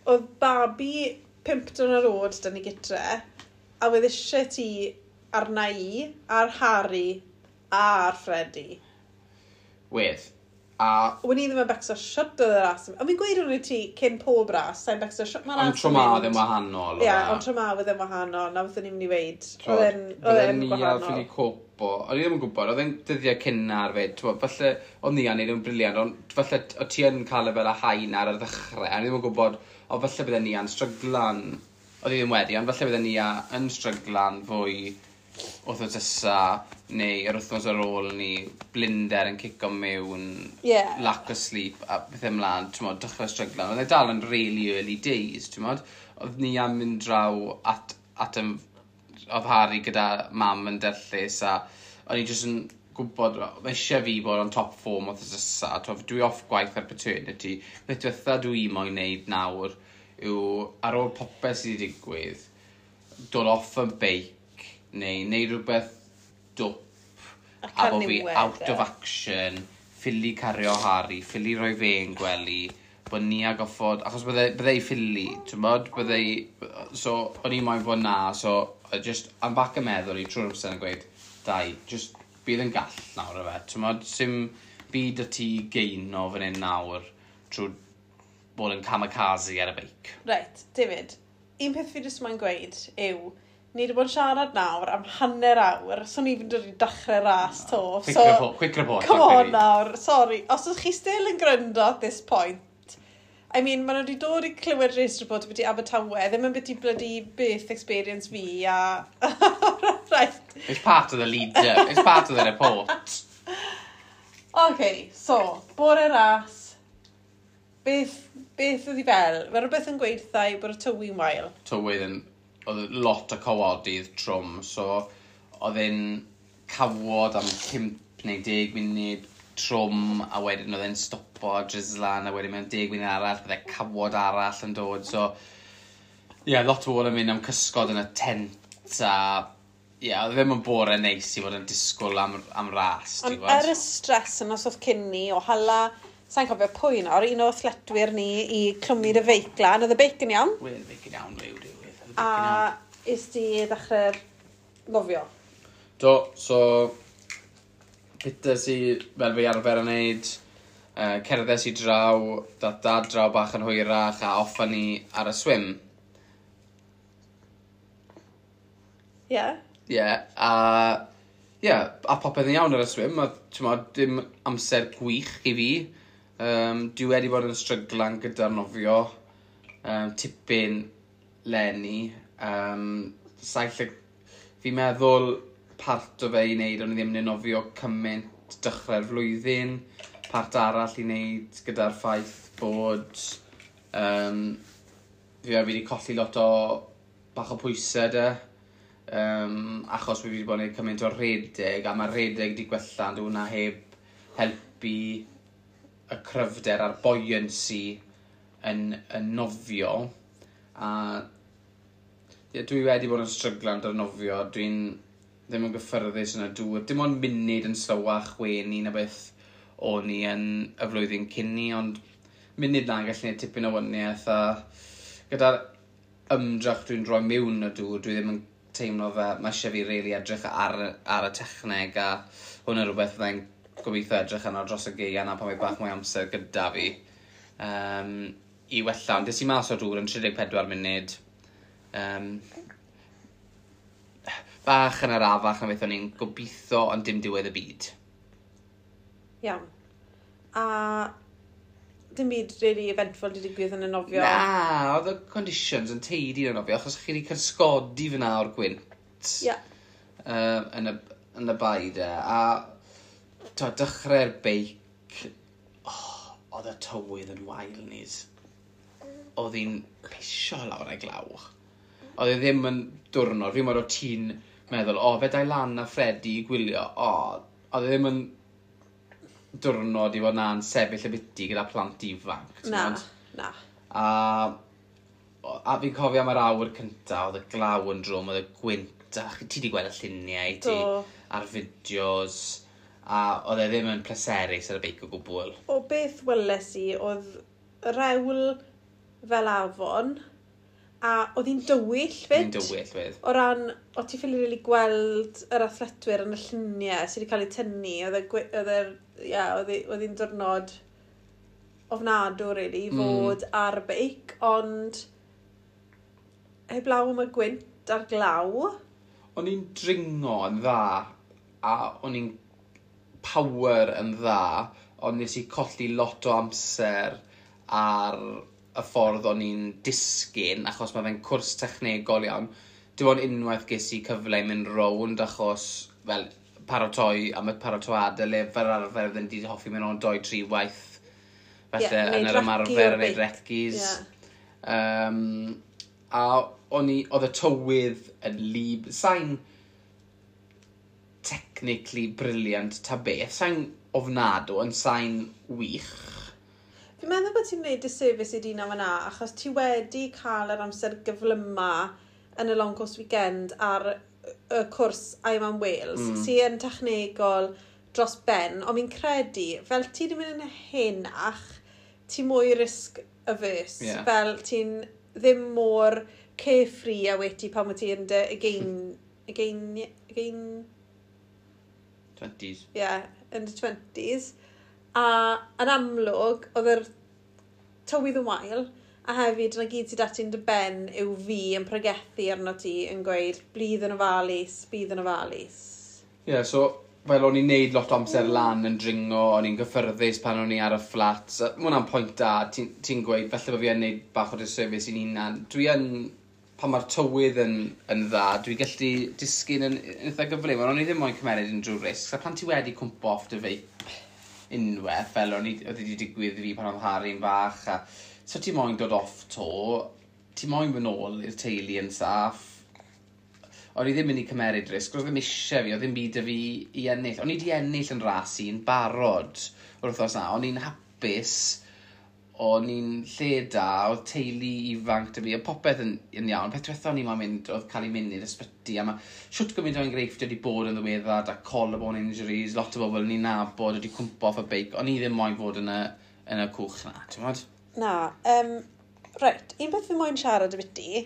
oedd babi 5 diwrnod oed 'da ni gytre, a wedd eisiau ti arna i, ar Harry, a ar Freddie. Wedd. A Wen i ddim yn becso shwt oedd y ras. A fi'n gweud hwn i ti cyn pob ras, sa'n becso shwt mae'r Ond ras tro yn ma mynd. oedd e'n wahanol. Ie, ond tro ma oedd e'n wahanol, na beth o'n i'n mynd i weid. Oedd Oedd e'n ni a gwahanol. ffili copo. O'n i ddim yn gwybod, oedd e'n dyddiau cynnar fyd. T'mo, falle, oedd ni yn neud yn brilliant, ond falle o ti yn cael e fel y hain ar y ddechrau. A o'n i ddim yn gwybod, o falle bydde ni yn stryglan, oedd i ddim wedi, ond falle bydde ni yn stryglan fwy wythnos nesa, neu yr wythnos ar ôl ni, blinder yn cico mewn, lack of sleep, a bethau ymlaen, ti'n dechrau stryglan. Oedd e dal yn really early days, ti'n modd. Oedd ni am mynd draw at oedd Harry gyda mam yn derllus, a o'n i jyst yn gwybod, mae eisiau fi bod on top form wythnos nesa. T'mo, dwi off gwaith ar paternity. Beth diwetha dwi moyn neud nawr yw, ar ôl popeth sydd wedi digwydd, dod off y beic, neu neud rhywbeth dwp, A a cael bod fi niwed, out e. of action, ffili cario Harry, ffili rhoi fe yn gwely, bod ni a goffod, achos bydde i ffili, ti'n bod, bydde i, so o'n i moyn bod na, so just, am back y meddwl i trwy'r amser yn gweud, "Dai, just bydd yn gall nawr efe, ti'n bod, sim byd y ti geino fan hyn nawr trwy bod yn kamikaze ar y beic." Reit, David, un peth fi jyst moyn gweud yw, ni wedi bod yn siarad nawr am hanner awr, so ni fynd dod i dechrau ras to. Quick So, report, quick report. Come Rhaid on fi. nawr, sorry. Os ydych chi still yn gryndo at this point, I mean, maen nhw wedi dod i clywed race report byti Abertawe, ddim yn byti bloody birth experience fi, a right. It's part of the leader, it's part of the report. OK, so, bore ras, beth oedd hi fel? Mae rhywbeth yn gweud wrtha i bod y tywy'n wael. Tywydd yn, oedd lot o cawodydd trwm, so oedd e'n cawod am 5 neu 10 munud trwm, a wedyn oedd e'n stopo a drislan, a wedyn mewn 10 munud arall, bydde cawod arall yn dod, so ie, yeah, lot o bobl yn mynd am cysgod yn y tent, a ie, yeah, oedd e ddim yn bore neis i fod yn disgwyl am ras, ti'n Ond gwbod? er y stres yn os oedd cyn ni o hala, sa'n cofio pwy nawr, un o athletwyr ni i clwmu dy feic lan, oedd y beic yn iawn, Wel, beic yn iawn, liw, diwydd. Oedd y beic yn a iawn. is di ddechrau'r nofio. Do, so pites i, fel fi arfer yn neud, cerdded i draw, dat dad draw bach yn hwyrach a off â ni ar y swim. Ie? Yeah. Ie, yeah, a yeah, a popeth yn iawn ar y swim, a t'mod, dim amser gwych i fi. Dwi wedi bod yn stryglan gyda'r nofio, tipyn leni. Fi'n meddwl part o fe i wneud, o'n i ddim yn nofio cymaint dechrau'r flwyddyn. Part arall i wneud gyda'r ffaith bod fi wedi colli lot o bach o pwysau de. Achos fi wedi bod yn gwneud cymaint o redeg, a mae redeg wedi gwella, ond hwnna heb helpu y cryfder a'r buoyancy yn nofio. A ie, dwi wedi bod yn stryglan gyda'r nofio. Dwi'n ddim yn gyffyrddus yn y dŵr. Dim ond munud yn slowach weni na beth o'n i yn y flwyddyn cyn ni, ond munud na'n gallu gwneud tipyn o waniaeth, a gyda'r ymdrech dwi'n rhoi mewn y dŵr, dwi ddim yn teimlo fe, mae eisiau fi really edrych ar y techneg, a hwn yn rhywbeth fyddai'n gobeithio edrych arno dros y gaea na pan mae bach mwy amser gyda fi i wella. Ond des i mas o'r dŵr yn 34 munud. Bach yn arafach na beth o'n i'n gobeithio, ond dim diwedd y byd. Iawn. A dim byd really eventful wedi digwydd yn y nofio? Na, oedd y conditions yn teidi yn y nofio, achos chi wedi cysgodi fyna o'r gwynt. Yn y bae de. A to, dechrau'r beic, oh, oedd y tywydd yn wael nis. Oedd hi'n pisio lawr ei glaw. Oedd e ddim yn diwrnod. Fi'n meddwl o ti'n meddwl, o, fe dai lan a Freddy i gwylio. O, oedd e ddim yn diwrnod i fod na'n sefyll y biti gyda plant ifanc. Na, na. A fi'n cofio am yr awr cynta, oedd y glaw yn drwm, oedd y gwynt, a ti wedi gweld y lluniau ti, a'r fideos, a oedd e ddim yn pleserus ar y beic o gwbl. O beth weles i, oedd rewl fel afon, a oedd hi'n dywyll fyd. Hi'n dywyll fyd. O ran, o ti ffili really gweld yr athletwyr yn y lluniau sydd wedi cael eu tynnu, oedd e, oedd e, ie, oedd hi'n diwrnod ofnadw, really, i fod ar y beic, ond heblaw am y gwynt a'r glaw. O'n i'n dringo yn dda, a o'n i'n power yn dda, ond nes i colli lot o amser ar y ffordd o'n i'n disgyn, achos mae fe'n cwrs technegol iawn. Dim ond unwaith ges i cyfle i mynd rownd, achos, fel, paratoi am y paratoadau le fel arfer fydden di hoffi mynd o'n doi, tri waith. Felly, yeah, yn yr ymarfer, yn neud recce's. A o'n i, oedd y tywydd yn lib. Sa'n technically brilliant ta beth. Sa'n ofnadw, ond sa'n wych. Fi'n meddwl bod ti'n gwneud disservice i dyn fan'na, achos ti wedi cael yr amser gyflyma yn y Long Course Weekend ar y cwrs Ironman Wales, sy'n yn technegol dros ben, ond fi'n credu, fel ti wedi mynd yn henach, ti mwy risk averse, fel ti'n ddim mor carefree a wedi pan wyt ti yn dy again, 20s. Yeah, in the 20s. A yn amlwg, oedd yr tywydd yn wael, a hefyd na gyd sydd ati'n dy ben yw fi yn pregethu arno ti yn gweud, bydd yn ofalus, bydd yn ofalus. Ie, yeah, so fel o'n i'n neud lot o amser lan yn dringo, o'n i'n gyffyrddus pan o'n i ar y flat. So, ma' hwnna'n pwynt da, ti'n ti gweud, falle bod fi yn neud bach o disservice i'n hunan. Dwi yn, pan mae'r tywydd yn dda, dwi'n gallu disgyn yn eitha gyflym, ond o'n i ddim moyn cymeryd unrhyw risg. A pan ti wedi cwmpo off dy feic unwaith, fel o'n i, oedd wedi digwydd i fi pan oedd Harry'n fach, a so ti moyn dod off to, ti moyn mynd nôl i'r teulu yn saff. O'n i ddim mynd i cymeryd risg, oedd ddim eisiau fi, oedd ddim byd y fi i ennill. O'n i wedi ennill yn ras i'n barod o'r wythnos na. O'n i'n hapus, o'n i'n lle da, oedd teulu ifanc 'da fi, oedd popeth yn iawn. Peth diwetha o'n i'n moyn mynd, oedd cael ei mynd i'r ysbyty, a mae shwt gymaint o enghreifftiau wedi bod yn ddiweddar, a collarbone injuries, lot o bobl ni'n nabod wedi cwmpo off y beic. O'n i ddim moyn fod yn y cwch na, ti'n modd? Na, reit, un beth fi moyn siarad ambiti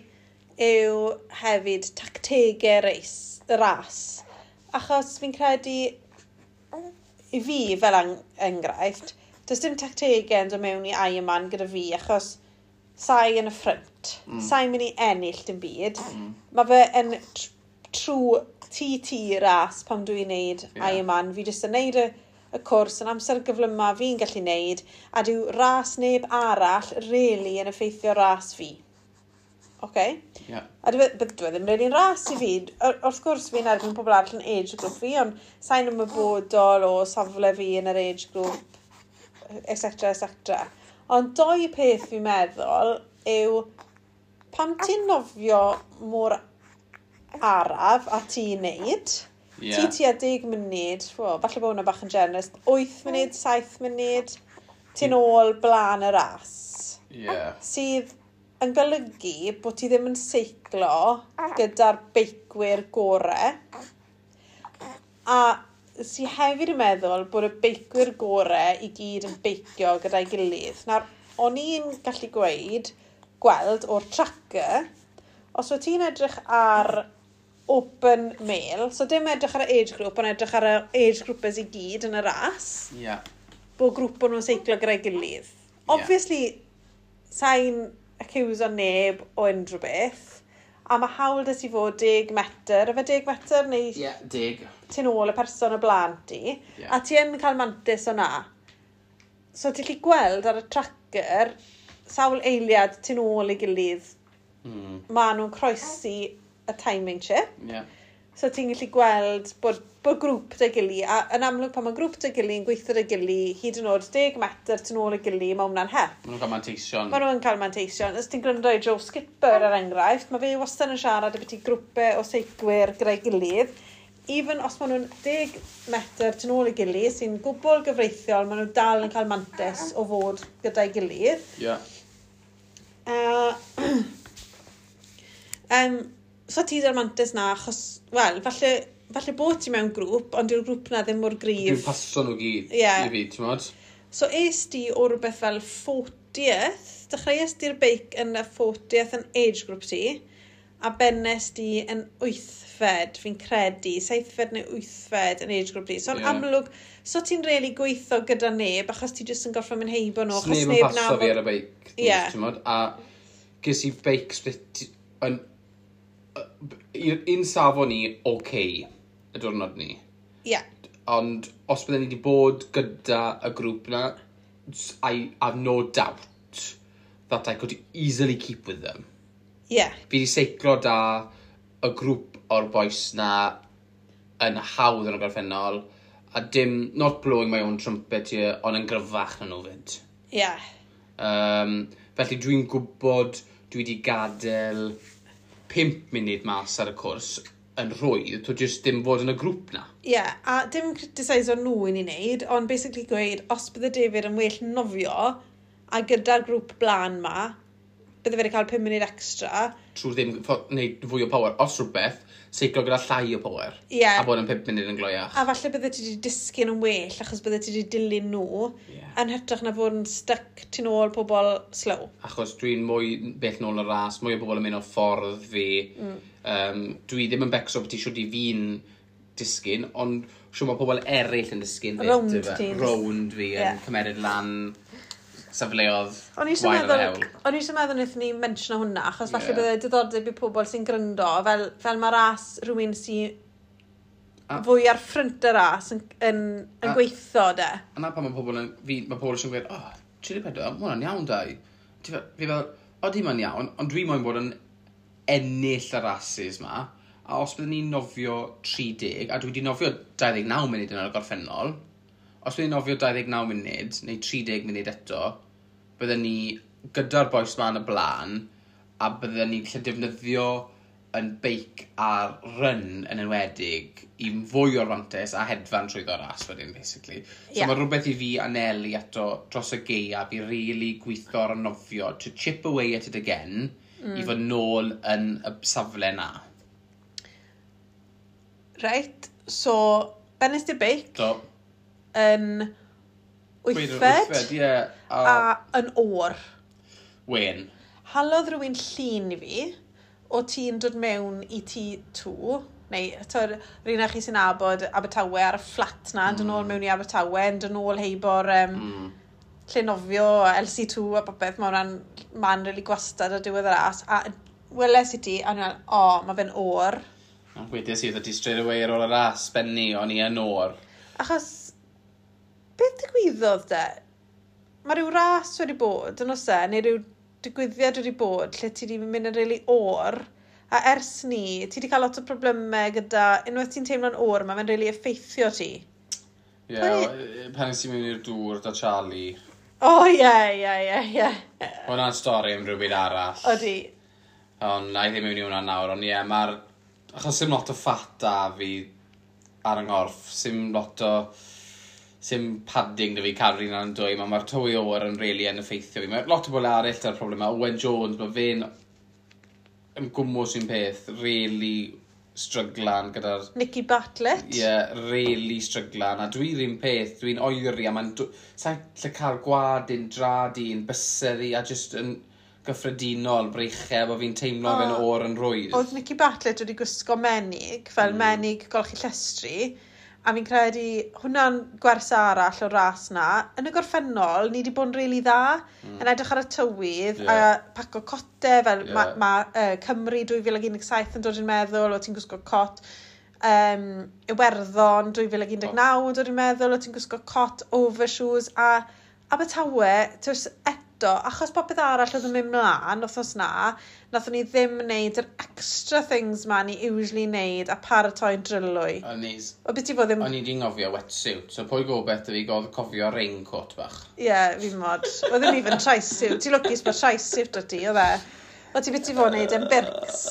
yw hefyd tactegau reis, y ras. Achos fi'n credu, i fi fel enghraifft, does dim tactegau yn dod mewn i Ironman gyda fi, achos sai yn y ffrynt. Sai'n mynd i ennill dim byd. Mae fe yn true TT ras pan dwi'n neud Ironman. Fi jyst yn neud y cwrs yn amser gyflyma fi'n gallu neud, a dyw ras neb arall really yn effeithio ras fi. Okay? Yeah. A dwi ddim really'n ras i fi. Wrth gwrs fi'n erbyn pobl arall yn age group fi, ond sa'n ymwybodol o safle fi yn yr age group, etc, etc. Ond doi peth fi'n meddwl yw pam ti'n nofio mor araf a ti'n neud, ti tua 10 munud, well, falle bod hwnna bach yn generous, 8 munud, 7 munud, ti'n ôl blaen y ras. Sydd yn golygu bod ti ddim yn seiclo gyda'r beicwyr gore. A sy hefyd yn meddwl bod y beicwyr gore i gyd yn beicio gyda'i gilydd. Nawr, o'n i'n gallu gweld o'r tracker, os wyt ti'n edrych ar open male, so dim edrych ar y age group, ond edrych ar y age groupers i gyd yn y ras, bod grŵp o'n nhw'n seiclo gyda'i gilydd. Obviously, sa'n accuse o neb o unrhyw beth, a mae hawl 'da ti fod 10 metr, efe 10 metr neu Ie, yeah, 10. Ti'n ôl y person o blaen ti, a ti yn cael mantis o na. So ti'n gallu gweld ar y tracker sawl eiliad ti'n ôl i gilydd. Ma nhw'n croesi y timing chip. So ti'n gallu gweld bod grŵp 'da gili, a yn amlwg pan mae grŵp 'da gili yn gweithio 'da gili, hyd yn oed 10 metr tu ôl i gili, mae hwnna'n help. Maen nhw'n cael manteision. Maen nhw'n cael manteision. Os ti'n gwrando i Joe Skipper er enghraifft, mae fe wastad yn siarad ambiti grwpau o seiclwyr gyda'i gilydd. Even os maen nhw'n 10 metr tu ôl i gili, sy'n gwbl gyfreithiol, maen nhw dal yn cael mantais o fod gyda'i gilydd. So ti 'da'r mantais na, achos, wel, falle bod ti mewn grŵp, ond dyw'r grŵp na ddim mor gryf. Dwi'n paso nhw gyd i fi, ti'n modd? So es di o rhywbeth fel 40th, dechreuais di'r beic yn y 40th yn age group ti, a bennes di yn 8fed, fi'n credu, 7fed neu 8fed yn age group ti. So yn amlwg, so ti'n really gweithio gyda neb, achos ti jyst yn gorfod mynd heibo nhw. Achos neb yn paso fi ar y beic. Ti'n modd? A ges i beic split yn un safon ni, okay, y diwrnod ni. Ond os bydden ni wedi bod gyda y grŵp na, I have no doubt that I could easily keep with them. Fi wedi seiclo da y grŵp o'r boys na yn hawdd yn y gorffennol, a dim, not blowing my own trumpet here, ond yn gryfach na nhw fyd. Felly dwi'n gwybod dwi wedi gadael 5 munud mas ar y cwrs yn rhwydd, to just dim fod yn y grŵp na. Ie, yeah, a dim criticise o nhw i ni wneud, ond basically gweud, os bydde David yn well nofio, a gyda'r grŵp blaen ma, bydde fe wedi cael 5 munud extra. Trwy ddim wneud fwy o power. Os rhywbeth, seiclo gyda llai o power. A bod yn 5 munud yn gloiach. A falle bydde ti wedi disgyn yn well, achos bydde ti wedi dilyn nhw, yn hytrach na fod yn stuck tu nôl pobl slow. Achos dwi'n mwy bell nôl y ras, mwy o bobl yn mynd o ffordd fi. Dwi ddim yn becso bod ti siwr i fi'n disgyn, ond siwr mae pobl eraill yn disgyn. Rownd ti. Rownd fi yn cymeryd lan safleodd gwael yr hewl. O'n i eisiau meddwl wnaethon ni mention hwnna, achos falle bydde diddordeb i pobl sy'n gryndo, fel mae ras rhywun sy'n fwy ar ffrynt y ras yn gweithio de. A na pan mae pobl yn, fi, mae pobl sy'n gweud, oh, 34, mae hwnna'n iawn dau. Fi fel, odi mae'n iawn, ond dwi moyn bod yn ennill y rases ma, a os byddwn ni'n nofio 30, a dwi wedi nofio 29 munud yn y gorffennol, os byddwn ni'n nofio 29 munud, neu 30 munud eto, byddwn ni gyda'r bois ma yn y blaen, a byddwn ni'n gallu defnyddio yn beic a'r run yn enwedig i fwy o'r fantes a hedfan trwyddo ras wedyn, basically. So mae rhywbeth i fi anelu ato dros y gaeaf i really gweithio ar y nofio, to chip away at it again, i fod nôl yn y safle na. Reit, so, bennes di'r beic Do. yn wythfed, Wythfed, ie. A yn oer. Wen. Halodd rhywun llun i fi o ti'n dod mewn i T2, neu twyd, rhywun chi sy'n nabod Abertawe ar y fflat na, yn dod nôl mewn i Abertawe, yn dod nôl heibo'r lle nofio, LC2 a popeth, mae hwnna'n man really gwastad ar diwedd y ras. A weles i ti, a o'n i'n meddwl, o, mae fe'n oer. Wedes i, ti straight away ar ôl y ras, benni, o'n i yn o'r. Achos, beth digwyddodd de? Mae rhyw ras wedi bod, yn oes e, neu rhyw digwyddiad wedi bod lle ti wedi mynd yn rili really o'r, a ers ni, ti wedi cael lot o problemau gyda, unwaith ti'n teimlo'n o'r, mae fe'n rili really effeithio ti. Ie, yeah, pan nes i mewn i'r dŵr da Charlie. O, oh, ie, ie, ie, ie. Hwna'n stori am rhywbeth arall. Odi. Ond na i ddim mewn i hwnna nawr, ond ie, yeah, mae'r... Achos sim lot o fat da fi ar yng nghorff, sim lot o... Sim padding da fi cadw'r un yn dwy, mae'r tywy oer yn really yn effeithio fi. Mae lot o bobl arall da'r problem Owen Jones, mae fe'n yn gwmwys un peth, really stryglan gyda'r... Nicky Bartlett. Ie, yeah, really stryglan. A dwi'n un peth, dwi'n oeri a mae'n... Sa'n lle cael gwad un, drad un, bysedd i, a just yn gyffredinol breichau bod fi'n teimlo oh, fe'n o'r yn rwydd. Oedd Nicky Bartlett wedi gwisgo menig, fel menig golchi llestri, a fi'n credu hwnna'n gwers arall o'r ras na. Yn y gorffennol, ni wedi bod yn rili really dda, yn edrych ar y tywydd, a paco cote, fel yeah. mae ma, Cymru 2017 yn dod i'n meddwl, o ti'n gwisgo cot. Iwerddon 2019 yn dod i'n meddwl, o ti'n gwisgo cot, overshoes, a Abertawe, tws, eto, achos popeth arall oedd yn mynd mlaen wythnos na, nathon ni ddim wneud yr extra things ma ni usually wneud a paratoi'n drylwy. O beth ti fod ddim... O'n i di ngofio wetsuit, so pwy gobeith dy fi cofio raincoat bach. Ie, yeah, fi'n mod. Oedd ddim even tri-suit. Ti'n lwcus bod tri-suit o ti, oedd e? O ti beth ti fod wneud yn Birks?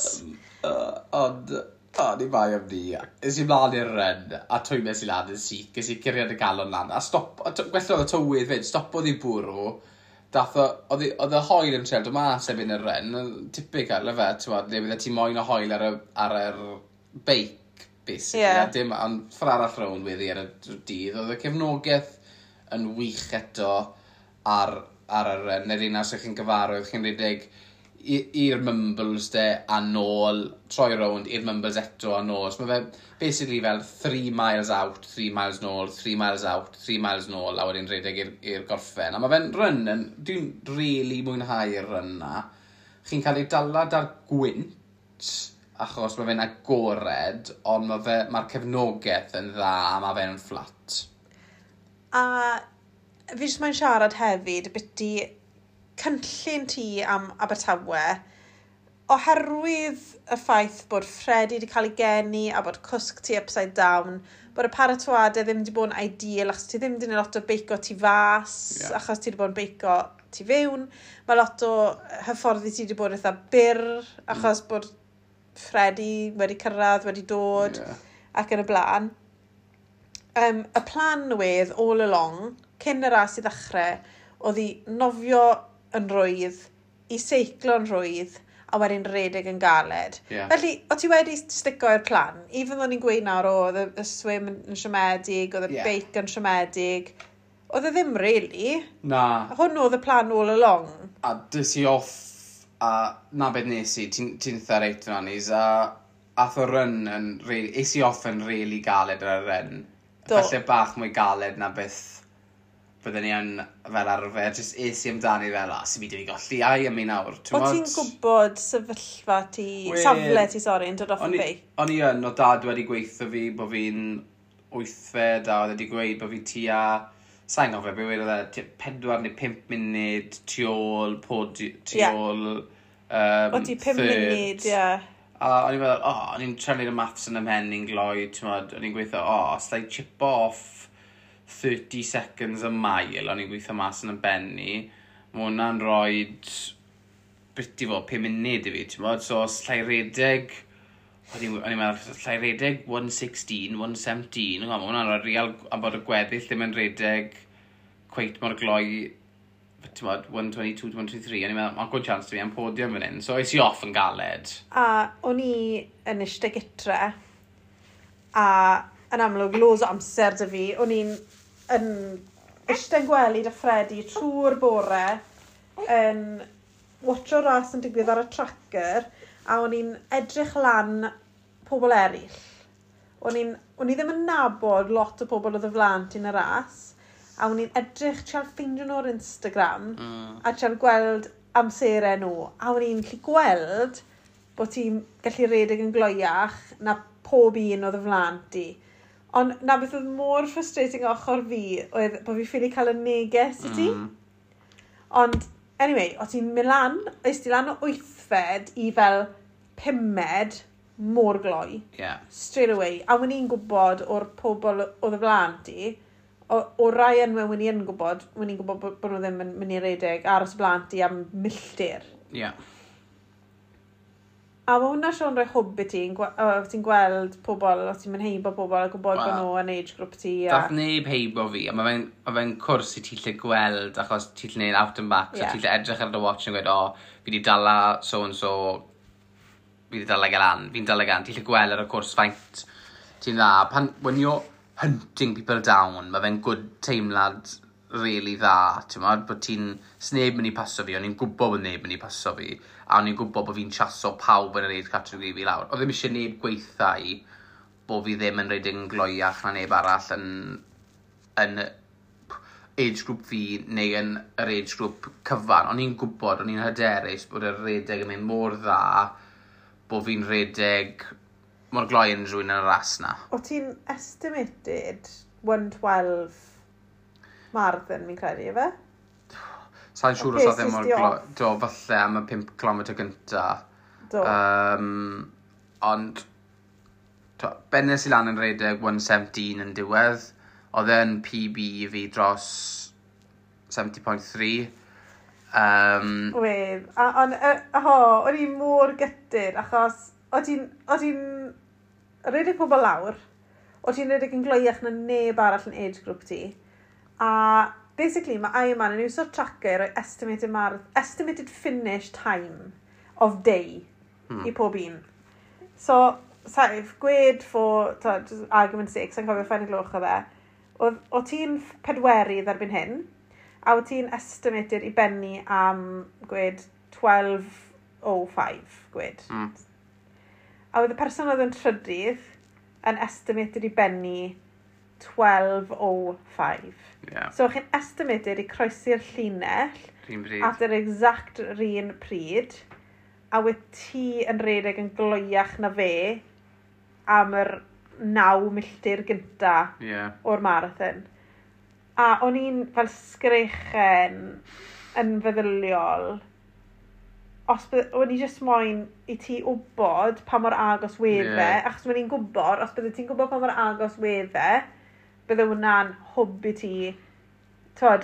Ond, o, ni bai am ni. Es i mlaen i'r run, a twymes i lan yn syth, ges i curiad y galon lan, a stop, a gwella oedd y tywydd fyd, stopodd i bwrw, dath o, oedd y hoel yn trial dod mas erbyn y run, typical, efe, ti'n bod, le bydde ti moyn o hoel ar y, ar yr beic, basically, yeah. A dim, ond ffordd arall rownd wedi ar y dydd, oedd y cefnogaeth yn wych eto ar, ar y run, neu'r un os ych chi'n gyfarwydd, chi'n rhedeg i'r Mumbles de a nôl, troi rownd i'r Mumbles eto a nôl. So mae fe basically fel 3 miles out, 3 miles nôl, 3 miles out, 3 miles nôl, a wedyn rhedeg i'r gorffen. A mae fe'n run, yn, dwi'n really mwynhau'r run na. Chi'n cael ei dala da'r gwynt, achos mae fe'n agored, ond mae'r ma cefnogaeth yn dda a mae fe'n fflat. A fi jyst mae'n siarad hefyd, byti cynllun ti am Abertawe, oherwydd y ffaith bod Freddie wedi cael ei geni a bod cwsg ti upside down, bod y paratoadau ddim wedi bod yn ideal achos ti ddim wedi gwneud lot o beico tu fas, yeah. achos ti wedi bod yn beico tu fewn. Mae lot o hyfforddi ti wedi bod eitha byr, achos bod Freddie wedi cyrraedd, wedi dod, yeah. ac yn y blaen. Y plan oedd all along, cyn y ras i ddechrau, oedd i nofio yn rwydd, i seiclo'n rwydd, a wedyn redeg yn galed. Yeah. Felly, o ti wedi stico i'r plan? Even though ni'n gweud nawr, oedd y swim yn siomedig, oedd y yeah. beic yn siomedig, oedd e ddim really. Na. Hwn oedd y plan all along. A dys i off, a na beth nes i, ti'n ti eitha reit fyna nis, a ath o run yn, really, es i off yn really galed ar y run. Do. Falle bach mwy galed na beth bydden ni yn fel arfer, just es i amdani fel, a sy'n byd i fi golli, ai am mi nawr. O ti'n gwybod sefyllfa ti, safle ti, sori, yn dod off y beic? O'n i yn, o dad wedi gweithio fi bod fi'n wythfed, a oedd wedi gweud bod fi tua, sa'n gofio, be wedodd e, 4 neu 5 munud tu ôl, podi, tu ôl, O ti 5 munud, ie. A o'n i'n meddwl, o, o'n i'n trefnu'r maths yn ymhen i'n gloi, ti'n modd, o'n i'n gweithio, o, os I chip off 30 seconds a mile, o'n i'n gweithio mas yn y benni, mae hwnna'n rhoi beth i fod, 5 munud i fi, ti'n modd, so os llai redeg, o'n i'n meddwl, llai redeg 116, 117, mae hwnna'n rhoi real, a bod y gweddill ddim yn redeg cweit mor gloi, ti'n modd, 122, 123, o'n i'n meddwl, mae'n good chance to fi am podium fan hyn, so es i off yn galed. A o'n i yn eistedd gytre, a yn amlwg, loads o amser dy fi, o'n i'n yn eistedd yn gwely dy Freddie trwy'r bore, yn watcho ras yn digwydd ar y tracker, a o'n i'n edrych lan pobl eraill. O'n i ddim yn nabod lot o pobl oedd y flaen ti'n y ras, a o'n i'n edrych trial ffeindio nhw ar Instagram, a trial gweld amserau nhw, a o'n i'n gallu gweld bod ti'n gallu redeg yn gloiach na pob un oedd y flaen ti. Ond na beth oedd mor frustrating ochr fi oedd bod fi ffili cael y neges i ti. Ond, anyway, o ti'n mynd lan, oes ti lan o wythfed i fel pumed mor gloi. Straight away. A wyn i'n gwybod o'r pobl oedd y flaen ti, o rai enwau wyn i'n gwybod, wyn i'n gwybod bod nhw ddim yn mynd i redeg aros y blaen ti am milltir. A mae hwnna Sean rhoi hwb i ti, ti'n gweld pobl, os ti'n mynd heibo pobl a gwybod bod nhw yn age group ti. A Dath neb heibo fi, a mae fe'n cwrs i ti lle gweld, achos ti'n lle gwneud out and back, so ti'n lle edrych ar dy watch yn gweud, "O, fi di dala so and so, fi di dala gael an, fi'n dala gan," ti'n lle gweld ar y cwrs faint ti'n dda. Pan, when you're hunting people down, mae fe'n good teimlad really dda, ti'n modd, bod ti'n, sneb mynd i paso fi, o'n i'n gwybod bod neb mynd i paso fi, a o'n i'n gwybod bod fi'n chaso pawb yn yr age category fi lawr. Oedd ddim eisiau neb gweitha i bod fi ddim yn rhedeg yn gloiach na neb arall yn age group fi neu yn yr age group cyfan. O'n i'n gwybod, o'n i'n hyderus bod y redeg yn mynd mor dda bod fi'n redeg mor gloi yn rhywun yn y ras na. O ti'n estimated 1:12 marathon, fi'n credu, efe? Sa'n siŵr os oedd e mor gloi. Do, falle am y 5 km gynta. Do. Ond, to, bennes i lan yn redeg 1:17 yn diwedd. Oedd e'n PB i fi dros 70.3. Wedd. A, ond, oh, o'n i mor gutted, achos o ti'n redeg pobl lawr, o ti'n redeg yn gloiach na neb arall yn age group ti. A basically mae Ironman yn iwso'r tracker roi estimated finish time of day i pob un. So, saif, gwed for, to, just argument's sake, sa'n cofio ffain y gloch o fe, o ti'n pedwerydd erbyn hyn, a o ti'n estimated i benni am, gwed, 12.05, gwed. A oedd y person oedd yn trydydd yn estimated i benni 12.05. So chi'n estimated i croesi'r llinell Rhyn bryd. at yr exact run pryd, a wyt ti yn redeg yn gloiach na fe am yr 9 milltir gynta o'r marathon. A o'n i'n fel sgrechen yn feddyliol, os o'n i jyst moyn i ti wybod pa mor agos wedd fe, achos o'n i'n gwybod, os bydde ti'n gwybod pa mor agos wedd fe, bydde hwnna'n hwb i ti, twod,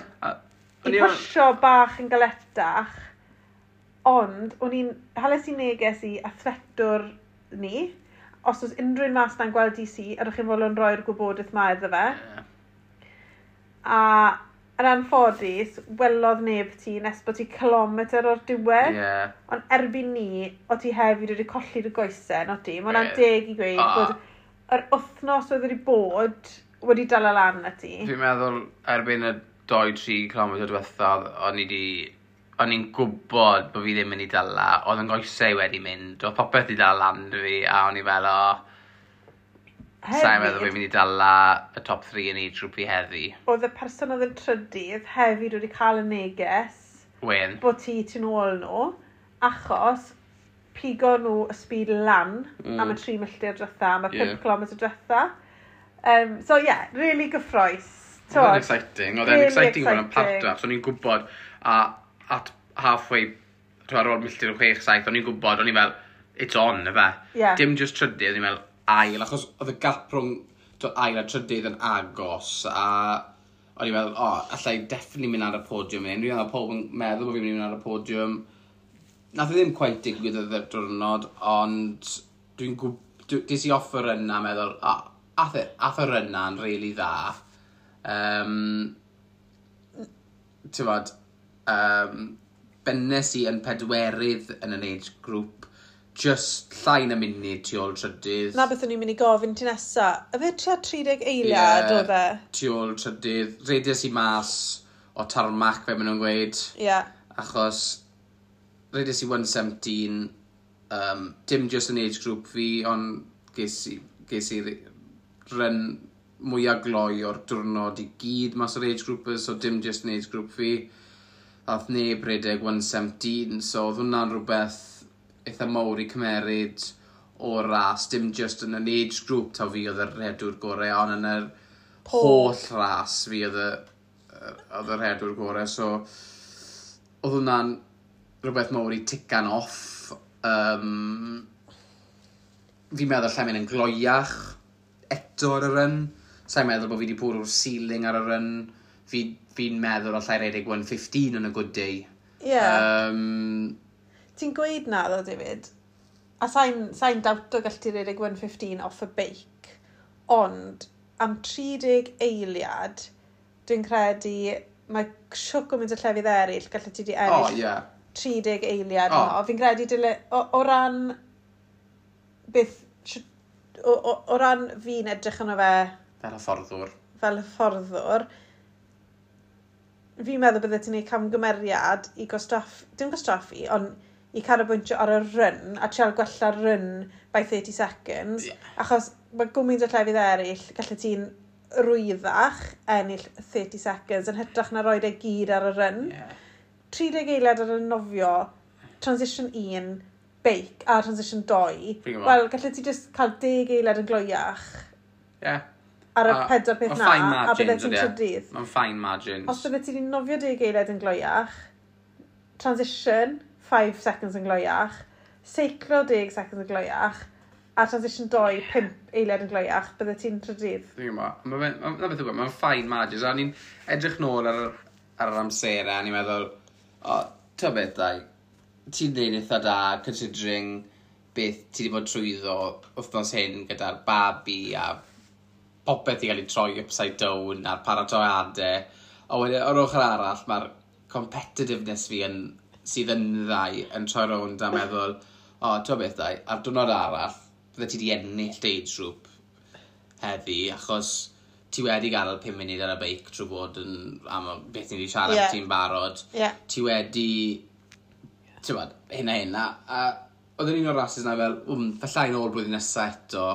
i pwysio bach yn galetach, ond o'n i'n, hales i neges i athletwr ni, os oes unrhyw un mas na'n gweld DC, ydych chi'n fodlon rhoi'r gwybodaeth ma iddo fe. A yn anffodus, welodd neb ti nes bod ti kilometr o'r diwedd. Ond erbyn ni, o ti hefyd wedi colli dy goesau, no ti? Mae hwnna'n deg i gweud bod yr wythnos oedd wedi bod wedi dala lan na ti. Fi'n meddwl erbyn y 2-3 km diwethaf, o'n i'n gwybod bod fi ddim yn ei dala, oedd yn goesau wedi mynd, oedd popeth wedi dala lan dy fi, a o'n i fel, o, sa'n meddwl fi'n mynd i dala y top 3 yn age group fi heddi. Oedd y person oedd yn trydydd hefyd wedi cael y neges Wen. bod ti tu nôl nhw, achos pigo nhw y speed lan am y 3 milltir diwetha, am y 5 km diwetha. So yeah, really gyffrous. Oedd e'n exciting. Oedd e'n Really exciting bod yn part exciting. o, so o'n i'n gwybod, a at halfway, to ar ôl milltir o 6-7, o'n i'n gwybod, o'n i'n fel, it's on, ife. Dim just trydydd, o'n i'n fel, ail, achos oedd y gap rhwng to, ail a trydydd yn agos, a o'n i'n fel, o, oh, allai definitely mynd ar y podiwm hyn. Dwi'n meddwl pob yn meddwl bod fi'n mynd ar y podiwm. Nath e ddim quite digwydd oedd y diwrnod, ond des i off y run a meddwl, o, oh, ath y run na'n really dda. Ti'n bod, bennes i yn pedwerydd yn yr age group, just llai na munud tu ôl trydydd. Na beth o'n i'n mynd i gofyn ti nesa. Yfe tua 30 eiliad oedd e? Tu ôl trydydd. Redes i mas o tarmac, fe maen nhw'n gweud. Achos redes i 1:17, dim just yn age group fi, ond ges i run mwyaf gloi o'r diwrnod i gyd mas o'r age groupers, so dim just yn age group fi. Ath neb redeg 1:17, so oedd hwnna'n rhywbeth eitha mawr i cymeryd o'r ras, dim just yn yr age group taw fi oedd y rhedwr gorau, ond yn yr holl ras fi oedd y rhedwr gorau. So, oedd hwnna'n rhywbeth mawr i tican off. Fi'n meddwl lle mynd yn gloiach eto ar y run. Sa'n meddwl bod fi wedi bwrw'r ceiling ar y run. Fi meddwl allai redeg 1:15 on a good day. Yeah. Ti'n gweud na ddo, David, a sa'n dawto gall ti redeg 1:15 off y beic, ond am 30 eiliad, dwi'n credu mae siwc o mynd y llefydd eraill, gallu ti di ennill 30 eiliad yno. Fi'n credu dyle, o ran beth, o ran fi'n edrych yno fe fel hyfforddwr. Fel hyfforddwr, fi'n meddwl bydde ti'n gwneud camgymeriad i gwastraffu, dim gwastraffu, ond i canolbwyntio ar y run a trial gwella'r run by 30 seconds. Achos mae gwmynt o llefydd eraill, gallu ti'n rwyddach ennill 30 seconds yn hytrach na roed e gyd ar y run. 30 eiliad ar y nofio, transition 1, beic a transition 2. Fi'n gwbod. Wel, gallu ti just cael 10 eiliad yn gloiach ar y pedwar peth Mae'n na, fine a bydde margins, ti'n ydi e? trydydd. Mae'n fine margins. Os bydde ti wedi nofio 10 eiliad yn gloiach, transition 5 seconds yn gloiach, seiclo 10 seconds yn gloiach, a transition 2, 5 eiliad yn gloiach, bydde ti'n trydydd. Fi'n gwybod. Na beth yw e, mae'n fine margins. A ni'n edrych nôl ar yr amserau, a ni'n meddwl, o, ti'n beth, dau, ti'n neud eitha da, considering beth ti wedi bod trwyddo wythnos hyn gyda'r babi a popeth i gael ei troi upside down a'r paratoiadau. A wedyn, o'r ochr arall, mae'r competitiveness fi yn, sydd yn ddau yn troi rownd a meddwl, o, ti'n beth, dau, ar diwrnod arall, bydde ti wedi ennill dy age group heddi, achos ti wedi gadael 5 munud ar y beic trwy bod yn, am y beth ni wedi siarad ti'n barod. Ti wedi, ti'n bod, hyn a hyn, a oedd yn un o'r rhasys na fel, fallai nôl blwyddyn nesaf eto,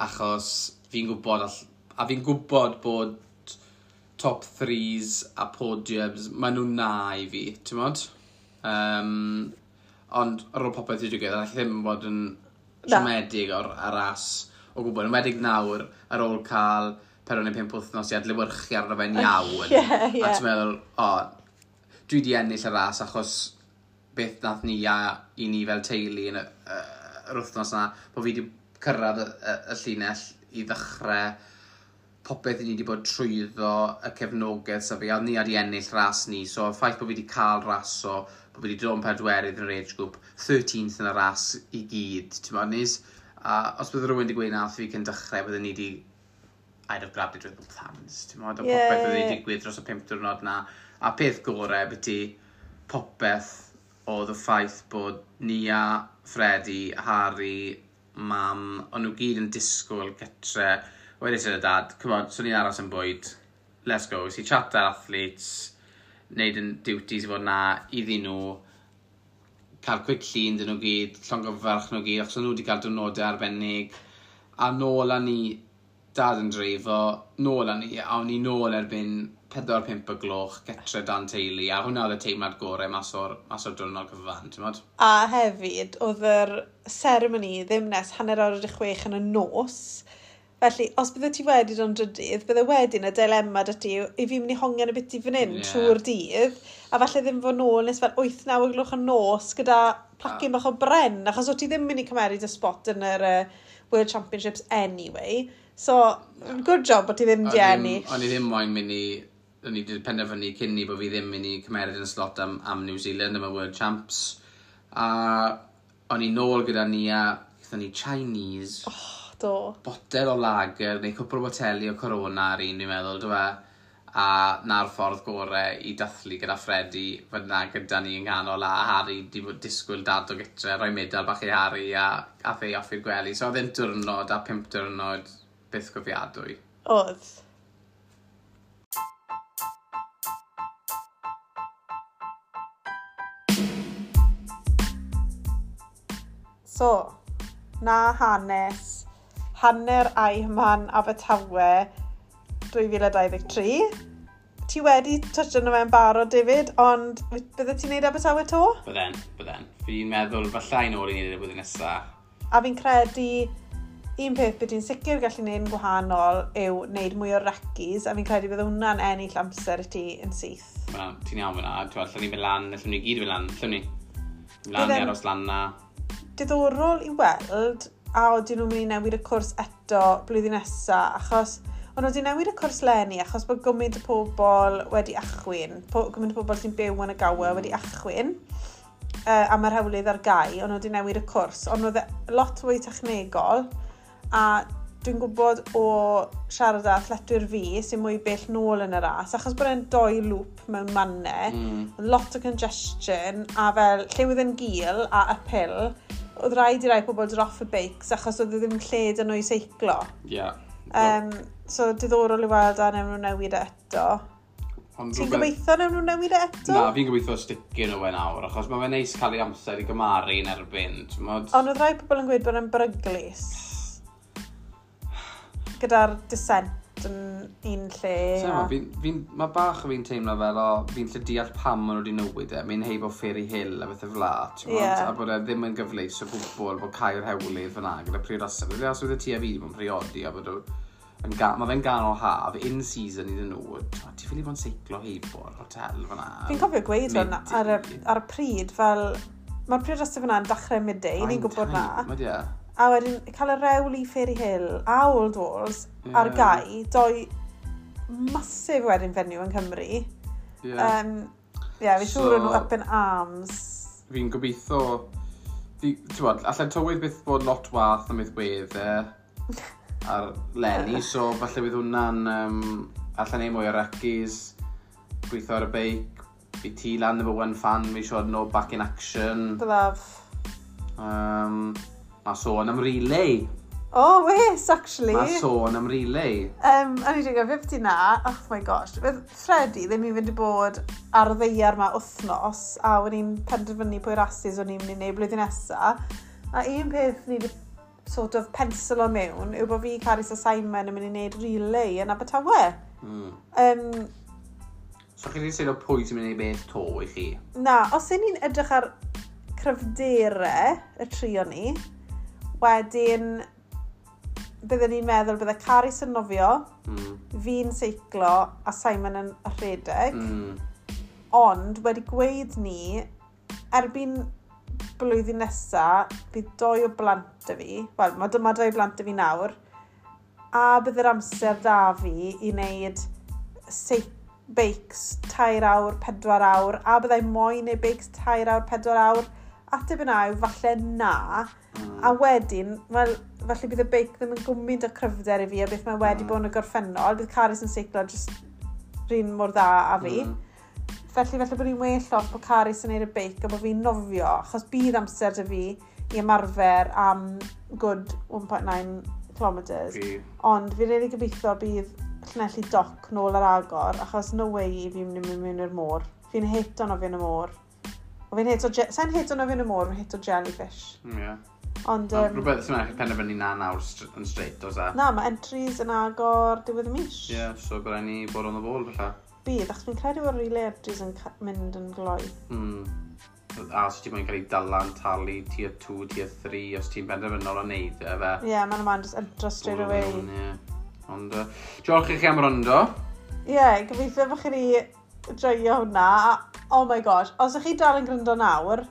achos fi'n gwybod, a fi'n gwybod bod top threes a podiums, maen nhw'n na i fi, ti'n bod? Ond ar ôl popeth i digwydd, allai ddim bod yn Na. siomedig o'r ar ras o gwbl. Yn enwedig nawr, ar ôl cael 4 neu 5 wythnos i adlewyrchu arno fe'n iawn. Ie. A ti'n meddwl, o, dwi wedi ennill y ras achos beth nath ni a i ni fel teulu yn yr wythnos na, bod fi wedi cyrraedd y llinell i ddechrau popeth i ni wedi bod trwyddo y cefnogaeth sa fi, a ni wedi ennill ras ni, so y ffaith bod fi wedi cael raso, bod fi wedi dod yn pedwerydd yn yr age group, 13th yn y ras i gyd, ti'n bod, nis? A os bydd rhywun wedi gweud nath fi cyn dechrau, bydden ni wedi I'd have grabbed it with both hands, ti'n bod, a popeth oedd wedi digwydd dros y 5 diwrnod na. A peth gorau, beth ti, popeth oedd y ffaith bod Nia, Freddie, Harry, Mam, o'n nhw gyd yn disgwyl gytre. Wedyn sy'n y dad, come on, so ni'n aros yn bwyd, let's go. Si chat ar athletes, neud yn duties i fod na iddyn nhw, cael quick llun dyn nhw gyd, llongyfarch nhw gyd, achos o'n nhw wedi cael diwrnodau arbennig. A nôl â ni, dad yn dreifo, nôl â ni, a o'n i nôl erbyn 4-5 y gloch, getre dan teulu, a hwnna oedd y teimlad gorau mas o'r diwrnod cyfan, ti'n modd? A hefyd, oedd yr seremoni ddim nes 5:30 yn y nos. Felly, os bydde ti wedi dod yn drydydd, bydde wedyn y dilemma dy ti i fi mynd i hongian y biti fan hyn trwy'r dydd, a falle ddim fod nôl nes fel 8-9 o gloch y nos gyda placyn bach o bren, achos o ti ddim mynd i cymeryd y spot yn yr World Championships anyway. So, good job bod ti ddim di ennill. O'n i ddim moyn mynd i, o'n i wedi penderfynu cyn ni bod fi ddim mynd i cymeryd yn slot am New Zealand, am y World Champs. A o'n i nôl gyda Nia, gaethon ni Chinese, Oh, do. botel o lager, neu cwpl o boteli o Corona ar un, dwi'n meddwl, dwi e? A na'r ffordd gorau i dathlu gyda Freddie, fod na gyda ni yng nghanol, a Harry di bod disgwyl dad o gytre, rhoi medal bach i Harry a ath ei off i'r gwely. So oedd e'n diwrnod a 5 diwrnod byth gofiadwy. Oedd. So, na hanes, hanner Ironman Abertawe 2023. Ti wedi touch arno fe'n barod, David, ond bydde ti'n neud Abertawe to? Bydden, bydden. Fi'n meddwl fallai nôl i wneud y blwyddyn nesaf. A fi'n credu un peth byd ti'n sicr gallu gwneud yn gwahanol yw wneud mwy o recis, a fi'n credu bydd hwnna'n ennill amser i ti yn syth. Wel, ti'n iawn fyna, ti'n allan ni fynd lan, allan ni gyd fynd lan, allan ni. Lan i aros lan na. Diddorol i weld a oedden nhw'n mynd i newid y cwrs eto blwyddyn nesa, achos ond nhw wedi newid y cwrs leni achos bod gymaint o pobl wedi achwyn, gymaint o pobl sy'n byw yn y Gower wedi achwyn, a mae'r hewlydd ar gau, ond nhw wedi newid y cwrs, ond oedd e lot fwy technegol, a dwi'n gwybod o siarad â athletwyr fi sy'n mwy bell nôl yn y ras, achos bod e'n doi loop mewn mannau, lot o congestion, a fel lle oedd yn gul a uphill, oedd rhaid i rai pobl dod off y beics achos oedd e ddim lle 'da nhw i seiclo. So diddorol i weld a newn nhw newid e eto. Ond Ti'n gobeithio newn nhw newid e eto? Na, fi'n gobeithio sticio nhw e nawr, achos mae fe'n neis cael ei amser i gymaru yn erbyn, t'mod? Ond oedd rai pobl yn gweud bod e'n beryglus. Gyda'r descent yn un lle. Sai'n gwbod, mae bach o fi'n teimlo fel, o, fi'n lle deall pam maen nhw wedi newid e. Mae'n heibo Fairy Hill a bethau fel 'a, t'mod? A bod e ddim yn gyfleus o gwbl bod cau'r hewlydd fyna gyda priodasau. Felly os oedd ti a fi wedi bod yn priodi a bod mae fe'n ganol haf, in season iddyn nhw, t'mod, ti ffili bod yn seiclo heibo'r hotel fyna. Fi'n cofio gweud hwn ar y pryd, fel, mae'r priodasau fyna yn dechrau midday, ni'n gwybod na. Mae di e. A wedyn cael y rewl i Fairy Hill a Old Walls ar gau, doi massive wedding venue yng Nghymru. Yeah, fi'n siŵr o'n nhw up in arms. Fi'n gobeithio, ti'n bod, allai tywydd byth bod lot wath am beth wedd e ar leni, so falle bydd hwnna'n allan ei mwy o recis, gweithio ar y beic, bydd ti lan number one fan, fi siŵr no back in action. Byddaf. Mae sôn am relay. Oh, wes, actually. Mae sôn am relay. A ni wedi gofio beth na, oh my gosh, fydd Freddie ddim i fynd i bod ar y ddaear ma wythnos, a o'n i'n penderfynu pwy rasis o'n i'n mynd i wneud blwyddyn nesa. A un peth ni wedi sort of pensilo mewn yw bod fi, Carys a Simon yn mynd i wneud relay yn Abertawe. So chi wedi seilo pwy sy'n mynd i wneud beth to i chi? Na, os y'n ni'n edrych ar cryfderau y tri o ni, wedyn byddwn ni'n meddwl bydde Carys yn nofio, fi'n seiclo a Simon yn rhedeg. Ond wedi gweud ni, erbyn blwyddyn nesa, bydd doi o blant 'da fi. Wel, mae doi o blant 'da fi nawr. A bydd yr amser da fi i wneud beics 3 awr, 4 awr. A byddai moyn neud beics 3 awr, 4 awr. Ateb yna yw falle na. A wedyn, wel, falle bydd y beic ddim yn gwmynt o cryfder i fi a beth mae wedi bod yn y gorffennol. Bydd Carys yn seiclo jyst rhan mor dda a fi. Felly, felly bod ni'n well off bod Carys yn neud y beic a bod fi'n nofio, achos bydd amser 'da fi i ymarfer am good 1.9 kilometres. Ond fi'n rili gobeithio bydd Llanelli Dock nôl ar agor, achos no way i fi'n mynd mewn i'r môr. Fi'n hato nofio yn y môr. O fi'n hato, sa'n hato nofio yn y môr, fi'n hato jellyfish. Ond, Rhywbeth sy'n mynd penderfynu na nawr yn straight, oes e? Na, mae entries yn agor diwedd y mis. Ie, yeah, so bydd rhaid ni bod on the ball, falle. Bydd, achos fi'n credu bod relay entries yn mynd yn gloi. A os ti'n moyn cael ei dala'n talu tier 2, tier 3, os ti'n benderfynol o wneud e, fe. Ie, yeah, mae'n man just entro straight away. Ie. Ond, diolch i chi am wrando. Ie, yeah, gobeithio bod chi wedi joio hwnna. Oh my gosh, os ych chi dal yn gryndo nawr,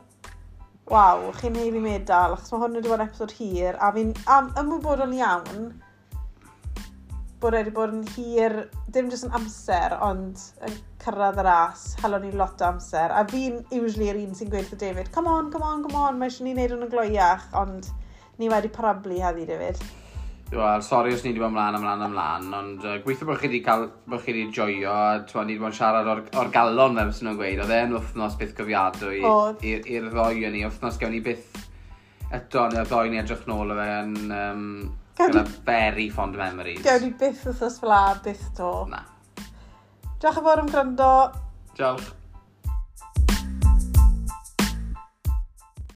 waw, chi'n haeddu medal, achos mae hwn wedi bod yn episod hir, a fi'n am, ymwybodol iawn bod wedi bod yn hir, dim jyst yn amser, ond yn cyrraedd y ras, helon ni lot o amser. A fi'n usually yr un sy'n gweud wrth David, "Come on, come on, come on, mae eisiau ni wneud hwn yn gloiach," ond ni wedi parablu heddi, David. Wel, sori os ni wedi bod ymlaen, ymlaen, ymlaen, ond gweithio bod chi wedi cael, bod chi wedi joio, a t'mo, ni wedi bod yn siarad o'r galon fel sy'n nhw'n gweud, oedd e'n wythnos byth gofiadwy Oedd. i'r ddoi o'n ni, wythnos gewn ni byth eto, neu'r ddoi ni edrych nôl o fe yn gyda very fond memories. Gewn ni byth wythnos fel 'a, byth to. Na. Diolch yn fawr am gwrando. Diolch.